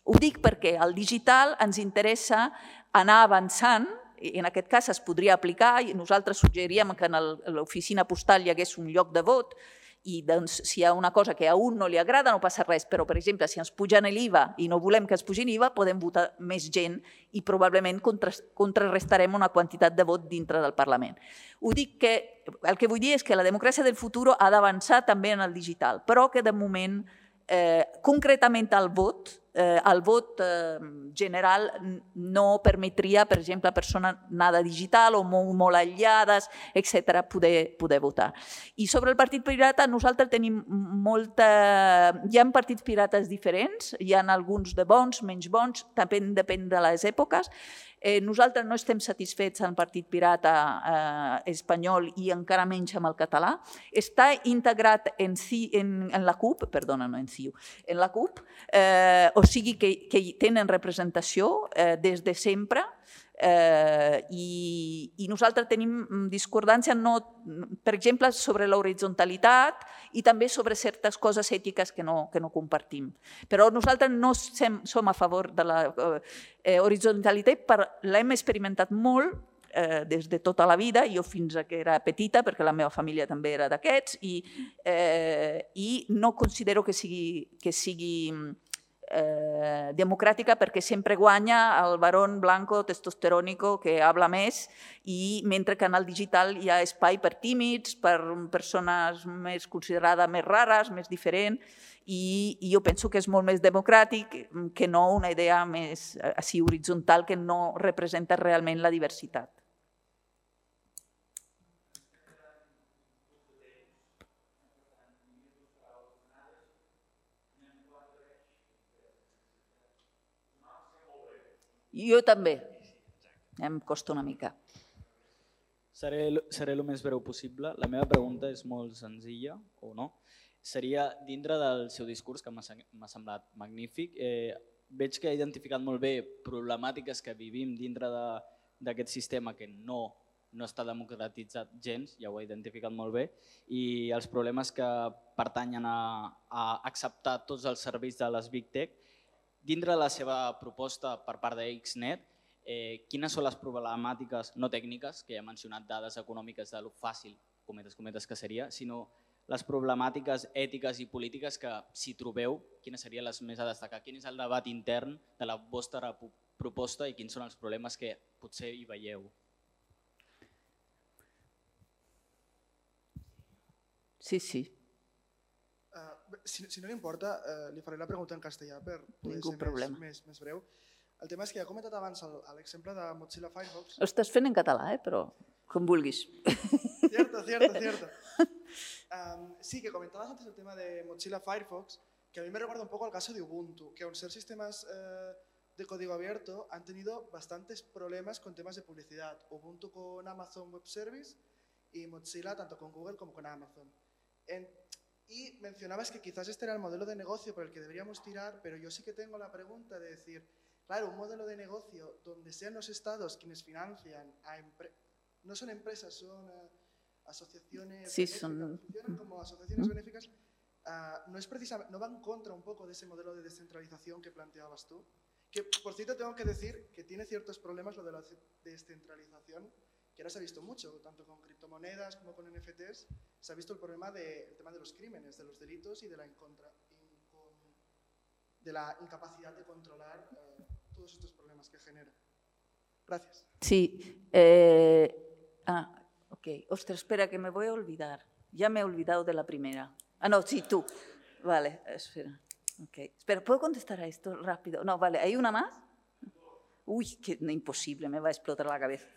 ho dic perquè al digital ens interessa anar avançant, i en aquest cas es podria aplicar, i nosaltres suggeríem que a l'oficina postal hi hagués un lloc de vot, i si hi ha una cosa que a un no li agrada no passa res, però per exemple si ens pugen l'I V A i no volem que ens pugin l'I V A podem votar més gent i probablement contrarrestarem una quantitat de vot dintre del Parlament. Ho dic que, el que vull dir és que la democràcia del futur ha d'avançar també en el digital, però que de moment concretament el vot, el vot general no permetria, per exemple, a persones nada digital o molt aïllades, etcètera, poder votar. I sobre el Partit Pirata, nosaltres tenim molta... Hi ha partits pirates diferents, hi ha alguns de bons, menys bons, també depèn de les èpoques. Nosaltres no estem satisfets amb el Partit Pirata espanyol i encara menys amb el català. Està integrat en la CUP, perdona, no en C I U, en la CUP, o sigui que tenen representació des de sempre i nosaltres tenim discordància, per exemple, sobre l'horitzontalitat i també sobre certes coses ètiques que no compartim. Però nosaltres no som a favor de l'horitzontalitat, l'hem experimentat molt des de tota la vida, jo fins que era petita, perquè la meva família també era d'aquests, i no considero que sigui democràtica perquè sempre guanya el barón blanco testosterònico que habla més, i mentre que en el digital hi ha espai per tímids, per persones més considerades més rares, més diferents, i jo penso que és molt més democràtic que no una idea més així horitzontal que no representa realment la diversitat. Jo també. Em costa una mica. Seré el més breu possible. La meva pregunta és molt senzilla, o no? Seria, dintre del seu discurs, que m'ha semblat magnífic, veig que ha identificat molt bé problemàtiques que vivim dintre d'aquest sistema que no no està democratitzat gens, ja ho he identificat molt bé, i els problemes que pertanyen a, a acceptar tots els serveis de les Big Tech. Dintre de la seva proposta per part de Xnet, eh, quines són les problemàtiques no tècniques, que ja he mencionat dades econòmiques de lo fàcil, cometes, cometes que seria, sinó les problemàtiques ètiques i polítiques que, si trobeu, quines serien les més a destacar? Quin és el debat intern de la vostra proposta i quins són els problemes que potser hi veieu? Sí, sí. Uh, si, si no li importa, uh, li faré la pregunta en castellà per poder Ningú ser problema. més, més, més breu. El tema és que ja he comentat abans l'exemple de Mozilla Firefox. Ho estàs fent en català, eh? Però com vulguis. Cierto, cierto, cierto. Um, sí, que comentabas antes el tema de Mozilla Firefox, que a mí me recuerda un poco al caso de Ubuntu, que aun ser sistemas eh, de código abierto han tenido bastantes problemas con temas de publicidad. Ubuntu con Amazon Web Service y Mozilla tanto con Google como con Amazon. En, y mencionabas que quizás este era el modelo de negocio por el que deberíamos tirar, pero yo sí que tengo la pregunta de decir, claro, un modelo de negocio donde sean los estados quienes financian a empresas, no son empresas, son uh, asociaciones sí, benéficas, son... funcionan como asociaciones benéficas, uh, no, es precisamente, no va en contra un poco de ese modelo de descentralización que planteabas tú, que por cierto tengo que decir que tiene ciertos problemas lo de la descentralización, que ahora se ha visto mucho, tanto con criptomonedas como con N F Ts, se ha visto el problema de, el tema de los crímenes, de los delitos y de la, incontra, incon, de la incapacidad de controlar uh, todos estos problemas que genera. Gracias. Sí. Eh, ah, ok. Ostras, espera, que me voy a olvidar. Ya me he olvidado de la primera. Ah, no, sí, tú. Vale, espera. Okay. Espera, ¿puedo contestar a esto rápido? No, vale, ¿hay una más? Uy, que imposible, me va a explotar la cabeza.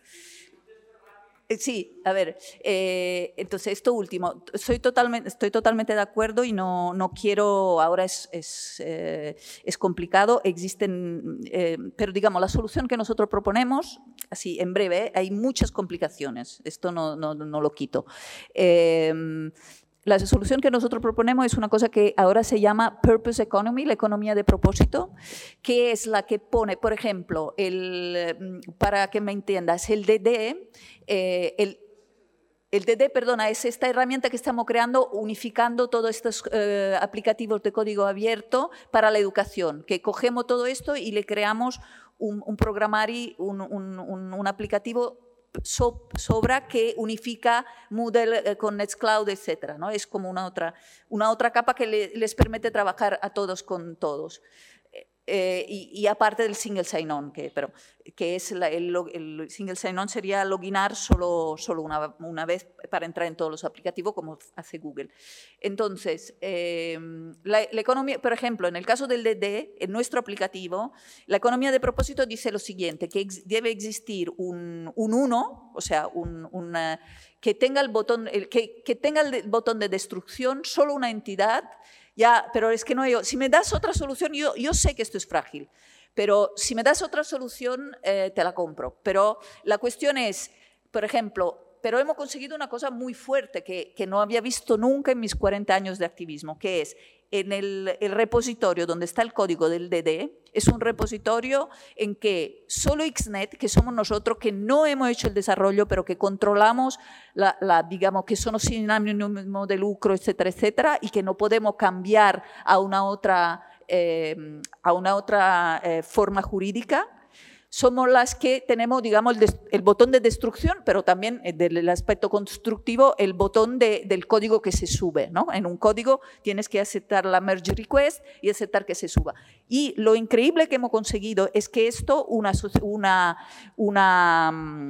Sí, a ver, eh, entonces esto último, soy totalmente, estoy totalmente de acuerdo y no, no quiero, ahora es, es, eh, es complicado, existen, eh, pero digamos, la solución que nosotros proponemos, así en breve, eh, hay muchas complicaciones, esto no, no, no lo quito. Eh, La solución que nosotros proponemos es una cosa que ahora se llama Purpose Economy, la economía de propósito, que es la que pone, por ejemplo, el, para que me entiendas, el D D, eh, el, el D D, perdona, es esta herramienta que estamos creando unificando todos estos eh, aplicativos de código abierto para la educación, que cogemos todo esto y le creamos un, un programario, un, un, un, un aplicativo sobra que unifica Moodle con Nextcloud, etcétera, ¿no? Es como una otra, una otra capa que le, les permite trabajar a todos con todos. Eh, y, y aparte del single sign-on, que, pero, que es la, el, el single sign-on sería loginar solo, solo una, una vez para entrar en todos los aplicativos, como hace Google. Entonces, eh, la, la economía, por ejemplo, en el caso del D D, en nuestro aplicativo, la economía de propósito dice lo siguiente, que ex, debe existir un, un uno, o sea, un, una, que, tenga el botón, el, que, que tenga el botón de destrucción, solo una entidad. Ya, pero es que no, yo, si me das otra solución, yo, yo sé que esto es frágil, pero si me das otra solución, eh, te la compro. Pero la cuestión es, por ejemplo, pero hemos conseguido una cosa muy fuerte que, que no había visto nunca en mis cuarenta años de activismo, que es en el, el repositorio donde está el código del D D, es un repositorio en que solo Xnet, que somos nosotros, que no hemos hecho el desarrollo, pero que controlamos, la, la, digamos, que son sin ánimo de lucro, etcétera, etcétera, y que no podemos cambiar a una otra, eh, a una otra eh, forma jurídica, somos las que tenemos, digamos, el, el botón de destrucción, pero también del aspecto constructivo, el botón de, del código que se sube, ¿no? En un código tienes que aceptar la merge request y aceptar que se suba. Y lo increíble que hemos conseguido es que esto una, una, una,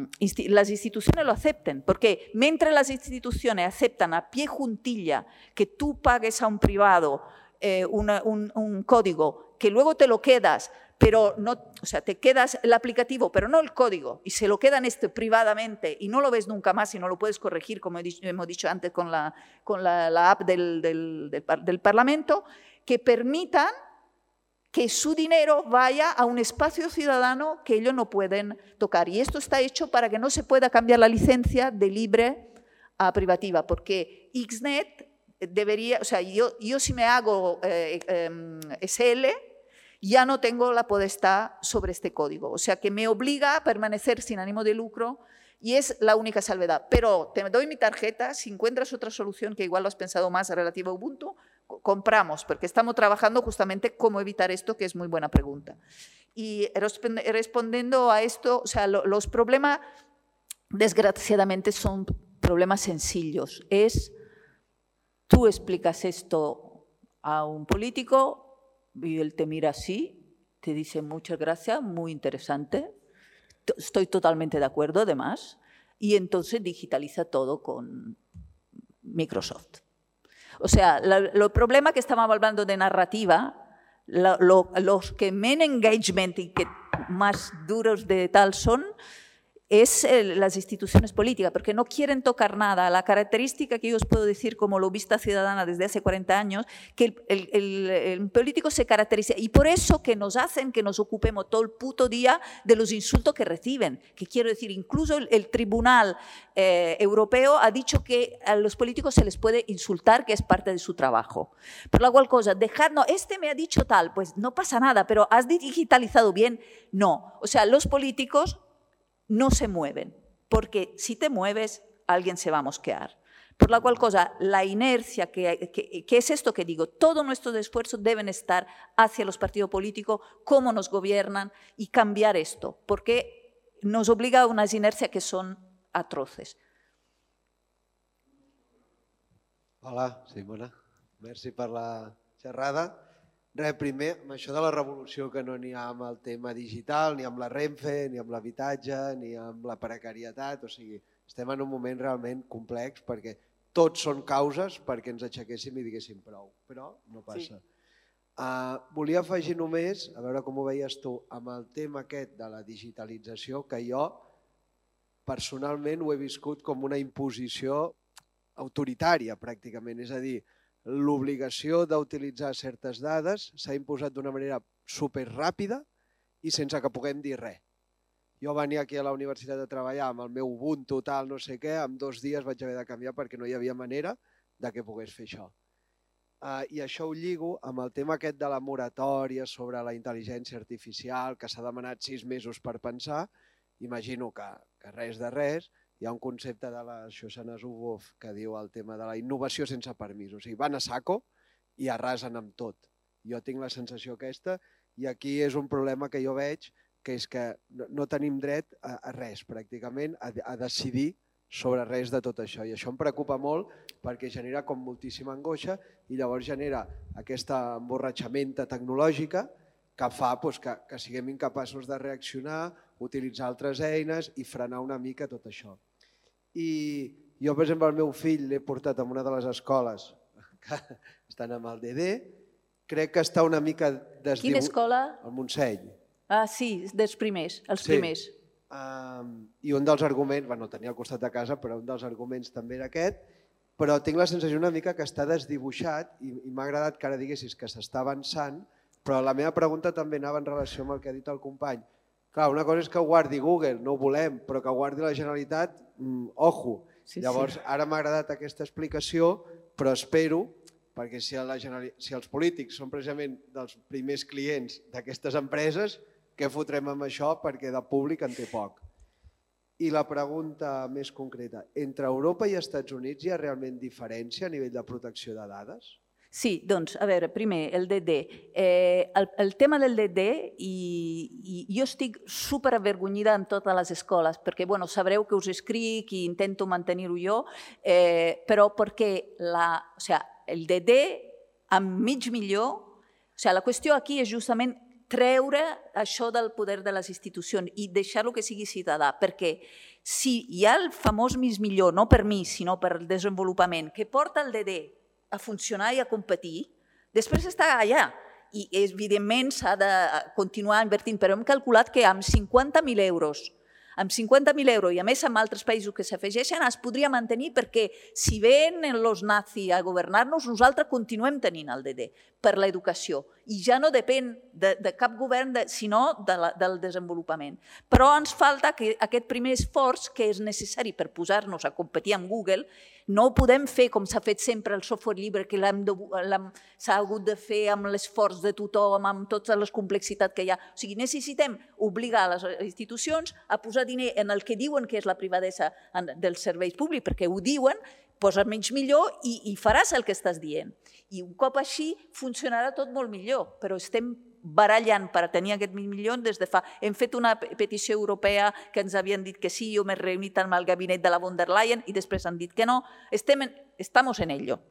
las instituciones lo acepten, porque mientras las instituciones aceptan a pie juntilla que tú pagues a un privado eh, una, un, un código que luego te lo quedas, pero no, o sea, te quedas el aplicativo, pero no el código, y se lo quedan este privadamente y no lo ves nunca más y no lo puedes corregir, como hemos dicho antes con la, con la, la app del, del, del, del Parlamento, que permitan que su dinero vaya a un espacio ciudadano que ellos no pueden tocar. Y esto está hecho para que no se pueda cambiar la licencia de libre a privativa, porque Xnet debería, o sea, yo, yo si me hago eh, eh, S L, ya no tengo la potestad sobre este código. O sea, que me obliga a permanecer sin ánimo de lucro Y es la única salvedad. Pero te doy mi tarjeta, si encuentras otra solución que igual lo has pensado más relativa a Ubuntu, compramos, porque estamos trabajando justamente cómo evitar esto, que es muy buena pregunta. Y respondiendo a esto, o sea, lo, los problemas, desgraciadamente, son problemas sencillos. Es, tú explicas esto a un político y él te mira así, te dice muchas gracias, muy interesante, estoy totalmente de acuerdo, además, y entonces digitaliza todo con Microsoft. O sea, el problema que estamos hablando de narrativa, lo, lo, los que menos engagement y que más duros de tal son, es el, las instituciones políticas, porque no quieren tocar nada. La característica que yo os puedo decir como lobista ciudadana desde hace cuarenta años, que el, el, el, el político se caracteriza, y por eso que nos hacen que nos ocupemos todo el puto día de los insultos que reciben, que quiero decir, incluso el, el Tribunal eh, Europeo ha dicho que a los políticos se les puede insultar, que es parte de su trabajo. Por la cual cosa, dejar, no, este me ha dicho tal, pues no pasa nada, pero ¿has digitalizado bien? No. O sea, los políticos no se mueven, porque si te mueves, alguien se va a mosquear. Por la cual cosa, la inercia, que, que, que es esto que digo, todos nuestros esfuerzos deben estar hacia los partidos políticos, cómo nos gobiernan y cambiar esto, porque nos obliga a unas inercias que son atroces. Hola, Simona. Merci per la xerrada. Res, primer, amb això de la revolució que no n'hi ha amb el tema digital, ni amb la Renfe, ni amb l'habitatge, ni amb la precarietat, o sigui, estem en un moment realment complex perquè tots són causes perquè ens aixequéssim i diguéssim prou, però no passa. Sí. Uh, volia afegir només, a veure com ho veies tu, amb el tema aquest de la digitalització, que jo personalment ho he viscut com una imposició autoritària pràcticament, és a dir, l'obligació d'utilitzar certes dades s'ha imposat d'una manera superràpida i sense que puguem dir res. Jo venia aquí a la universitat a treballar amb el meu Ubuntu, tal, no sé què, en dos dies vaig haver de canviar perquè no hi havia manera de que pogués fer això. I això ho lligo amb el tema aquest de la moratòria sobre la intel·ligència artificial, que s'ha demanat sis mesos per pensar. Imagino que res de res. Hi ha un concepte de la Shoshana Zuboff que diu el tema de la innovació sense permís. O sigui, van a saco i arrasen amb tot. Jo tinc la sensació aquesta i aquí és un problema que jo veig, que és que no tenim dret a res, pràcticament, a decidir sobre res de tot això. I això em preocupa molt perquè genera com moltíssima angoixa i llavors genera aquesta emborratxamenta tecnològica que fa que siguem incapaços de reaccionar, utilitzar altres eines i frenar una mica tot això. I jo, per exemple, el meu fill l'he portat a una de les escoles que estan amb el D D, crec que està una mica desdibuixat. Quina escola? El Montseny. Ah, sí, dels primers, els primers. I un dels arguments, bueno, tenia al costat de casa, però un dels arguments també era aquest, però tinc la sensació una mica que està desdibuixat i m'ha agradat que ara diguessis que s'està avançant, però la meva pregunta també anava en relació amb el que ha dit el company. Clar, una cosa és que ho guardi Google, no ho volem, però que ho guardi la Generalitat, ojo. Llavors, ara m'ha agradat aquesta explicació, però espero, perquè si els polítics són precisament dels primers clients d'aquestes empreses, què fotrem amb això? Perquè de públic en té poc. I la pregunta més concreta, entre Europa i Estats Units hi ha realment diferència a nivell de protecció de dades? Sí, doncs, a veure, primer, el D D. Eh, el, el tema del D D, i, i jo estic superavergonyida en totes les escoles, perquè, bueno, sabreu que us escric i intento mantenir-ho jo, eh, però perquè la, o sea, el D D amb mig milió, o sea, la qüestió aquí és justament treure això del poder de les institucions i deixar-lo que sigui ciutadà, perquè si hi ha el famós mig milió, no per mi, sinó per el desenvolupament, que porta el D D a funcionar i a competir, després està allà. I, evidentment, s'ha de continuar invertint, però hem calculat que amb cinquanta mil euros, amb cinquanta mil euros i a més amb altres països que s'afegeixen, es podria mantenir perquè si venen els nazis a governar-nos, nosaltres continuem tenint el D D per l'educació i ja no depèn de, de cap govern, de, sinó de la, del desenvolupament. Però ens falta que aquest primer esforç que és necessari per posar-nos a competir amb Google, no ho podem fer com s'ha fet sempre el software lliure, que s'ha hagut de fer amb l'esforç de tothom, amb totes les complexitats que hi ha. O sigui, necessitem obligar les institucions a posar diner en el que diuen que és la privadesa dels serveis públics, perquè ho diuen, posa menys millor i, i faràs el que estàs dient. I un cop així funcionarà tot molt millor, però estem barallant per tenir aquest mig milió des de fa... Hem fet una petició europea que ens havien dit que sí, jo m'he reunit amb el gabinet de la von der Leyen i després han dit que no. Estem en, estamos en ello.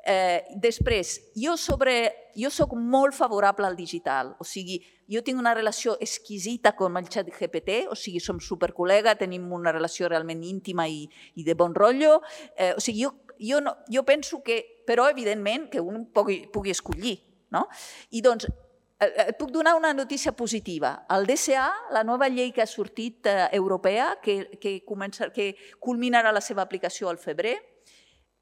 Eh, després, jo, sobre, jo soc molt favorable al digital, o sigui, jo tinc una relació exquisita amb el xat G P T, o sigui, som supercol·lega, tenim una relació realment íntima i, i de bon rotllo, eh, o sigui, jo, jo, no, jo penso que, però evidentment que un pugui, pugui escollir, no? I doncs, et puc donar una notícia positiva. El D S A, la nova llei que ha sortit eh, europea, que, que, comença, que culminarà la seva aplicació al febrer,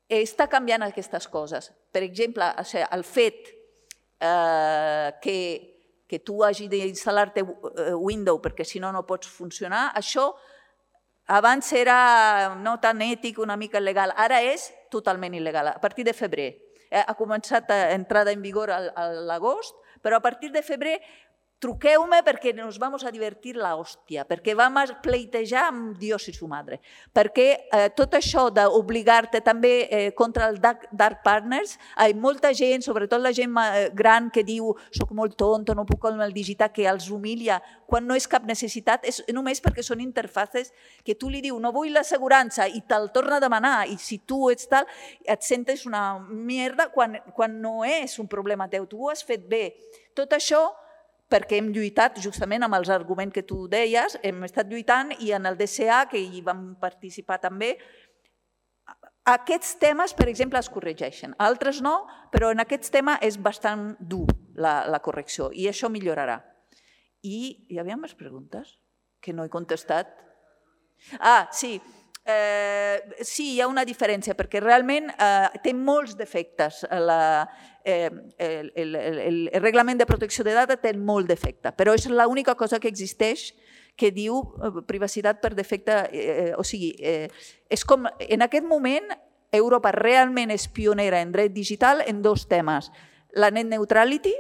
està canviant aquestes coses. Per exemple, el fet eh, que, que tu hagi d'instal·lar-te Windows perquè si no no pots funcionar, això abans era no tan ètic, una mica il·legal, ara és totalment il·legal, a partir de febrer. Eh, ha començat a entrada en vigor a l'agost, però a partir de febrer truqueu-me perquè nos vamos a divertir la hòstia, perquè vam a pleitejar amb Dios i su madre, perquè eh, tot això d'obligar-te també eh, contra el dark, dark partners, hi ha molta gent, sobretot la gent gran que diu soc molt tonto, no puc amb el digital, que els humilia, quan no és cap necessitat, és només perquè són interfaces que tu li dius no vull l'assegurança i te'l torna a demanar i si tu ets tal, et sentes una merda quan, quan no és un problema teu, tu ho has fet bé. Tot això perquè hem lluitat justament amb els arguments que tu deies, hem estat lluitant i en el D S A, que hi vam participar també, aquests temes, per exemple, es corregeixen. Altres no, però en aquests temes és bastant dur la, la correcció i això millorarà. I hi havia més preguntes que no he contestat? Ah, sí. Eh, sí, hi ha una diferència, perquè realment eh, té molts defectes. La, eh, el, el, el, el reglament de protecció de dades té molt defecte, però és l'única cosa que existeix que diu privacitat per defecte. Eh, o sigui, eh, és com, en aquest moment, Europa realment és pionera en dret digital en dos temes. La net neutrality,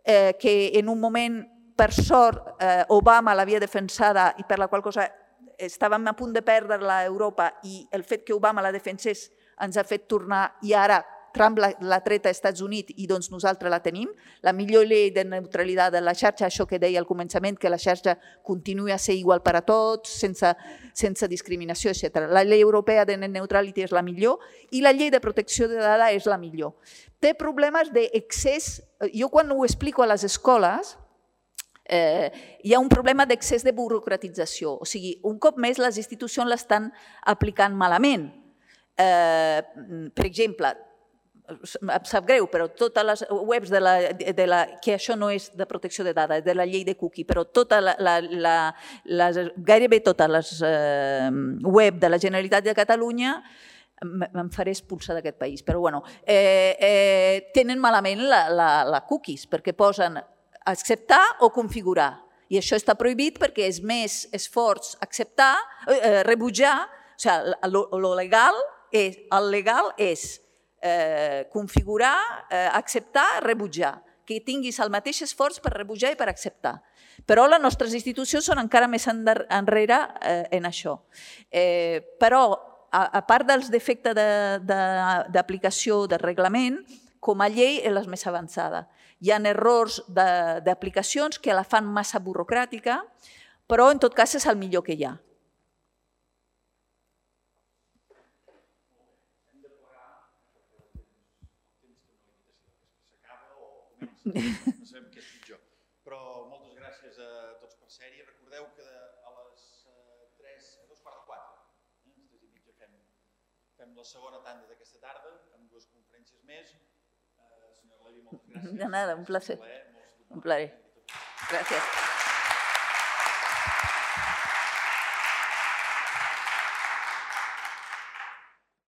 eh, que en un moment, per sort, eh, Obama l'havia defensada i per la qual cosa estàvem a punt de perdre-la a Europa i el fet que Obama la defensés ens ha fet tornar i ara Trump l'ha tret als Estats Units i doncs nosaltres la tenim. La millor llei de neutralitat de la xarxa, això que deia al començament, que la xarxa continuï a ser igual per a tots, sense, sense discriminació, etcètera. La llei europea de net neutrality és la millor i la llei de protecció de dades és la millor. Té problemes d'excés. Jo quan ho explico a les escoles, Eh, hi ha un problema d'excés de burocratització. O sigui, un cop més les institucions l'estan aplicant malament. Eh, per exemple, em sap greu, però totes les webs de la, de la, que això no és de protecció de dades, de la llei de cookie, però tota la, la, la, les, gairebé totes les eh, web de la Generalitat de Catalunya em faré expulsar d'aquest país, però bueno, eh, eh, tenen malament la, la, la cookies, perquè posen acceptar o configurar. I això està prohibit perquè és més esforç acceptar, eh, rebutjar, o sigui, el legal és, el legal és eh, configurar, eh, acceptar, rebutjar, que tinguis el mateix esforç per rebutjar i per acceptar. Però les nostres institucions són encara més enrere eh, en això. Eh, però, a, a part dels defectes d'aplicació de, de, del reglament, com a llei és la més avançada. Hi ha errors d'aplicacions que la fan massa burocràtica, però en tot cas és el millor que hi ha. No sabem què és pitjor. Però moltes gràcies a tots per ser-hi. Recordeu que a les tres, a dos quarts de quatre, tres i mitja, fem la segona tanda d'aquesta tarda, amb dues conferències més. De nada, un placer. Un placer. Gracias.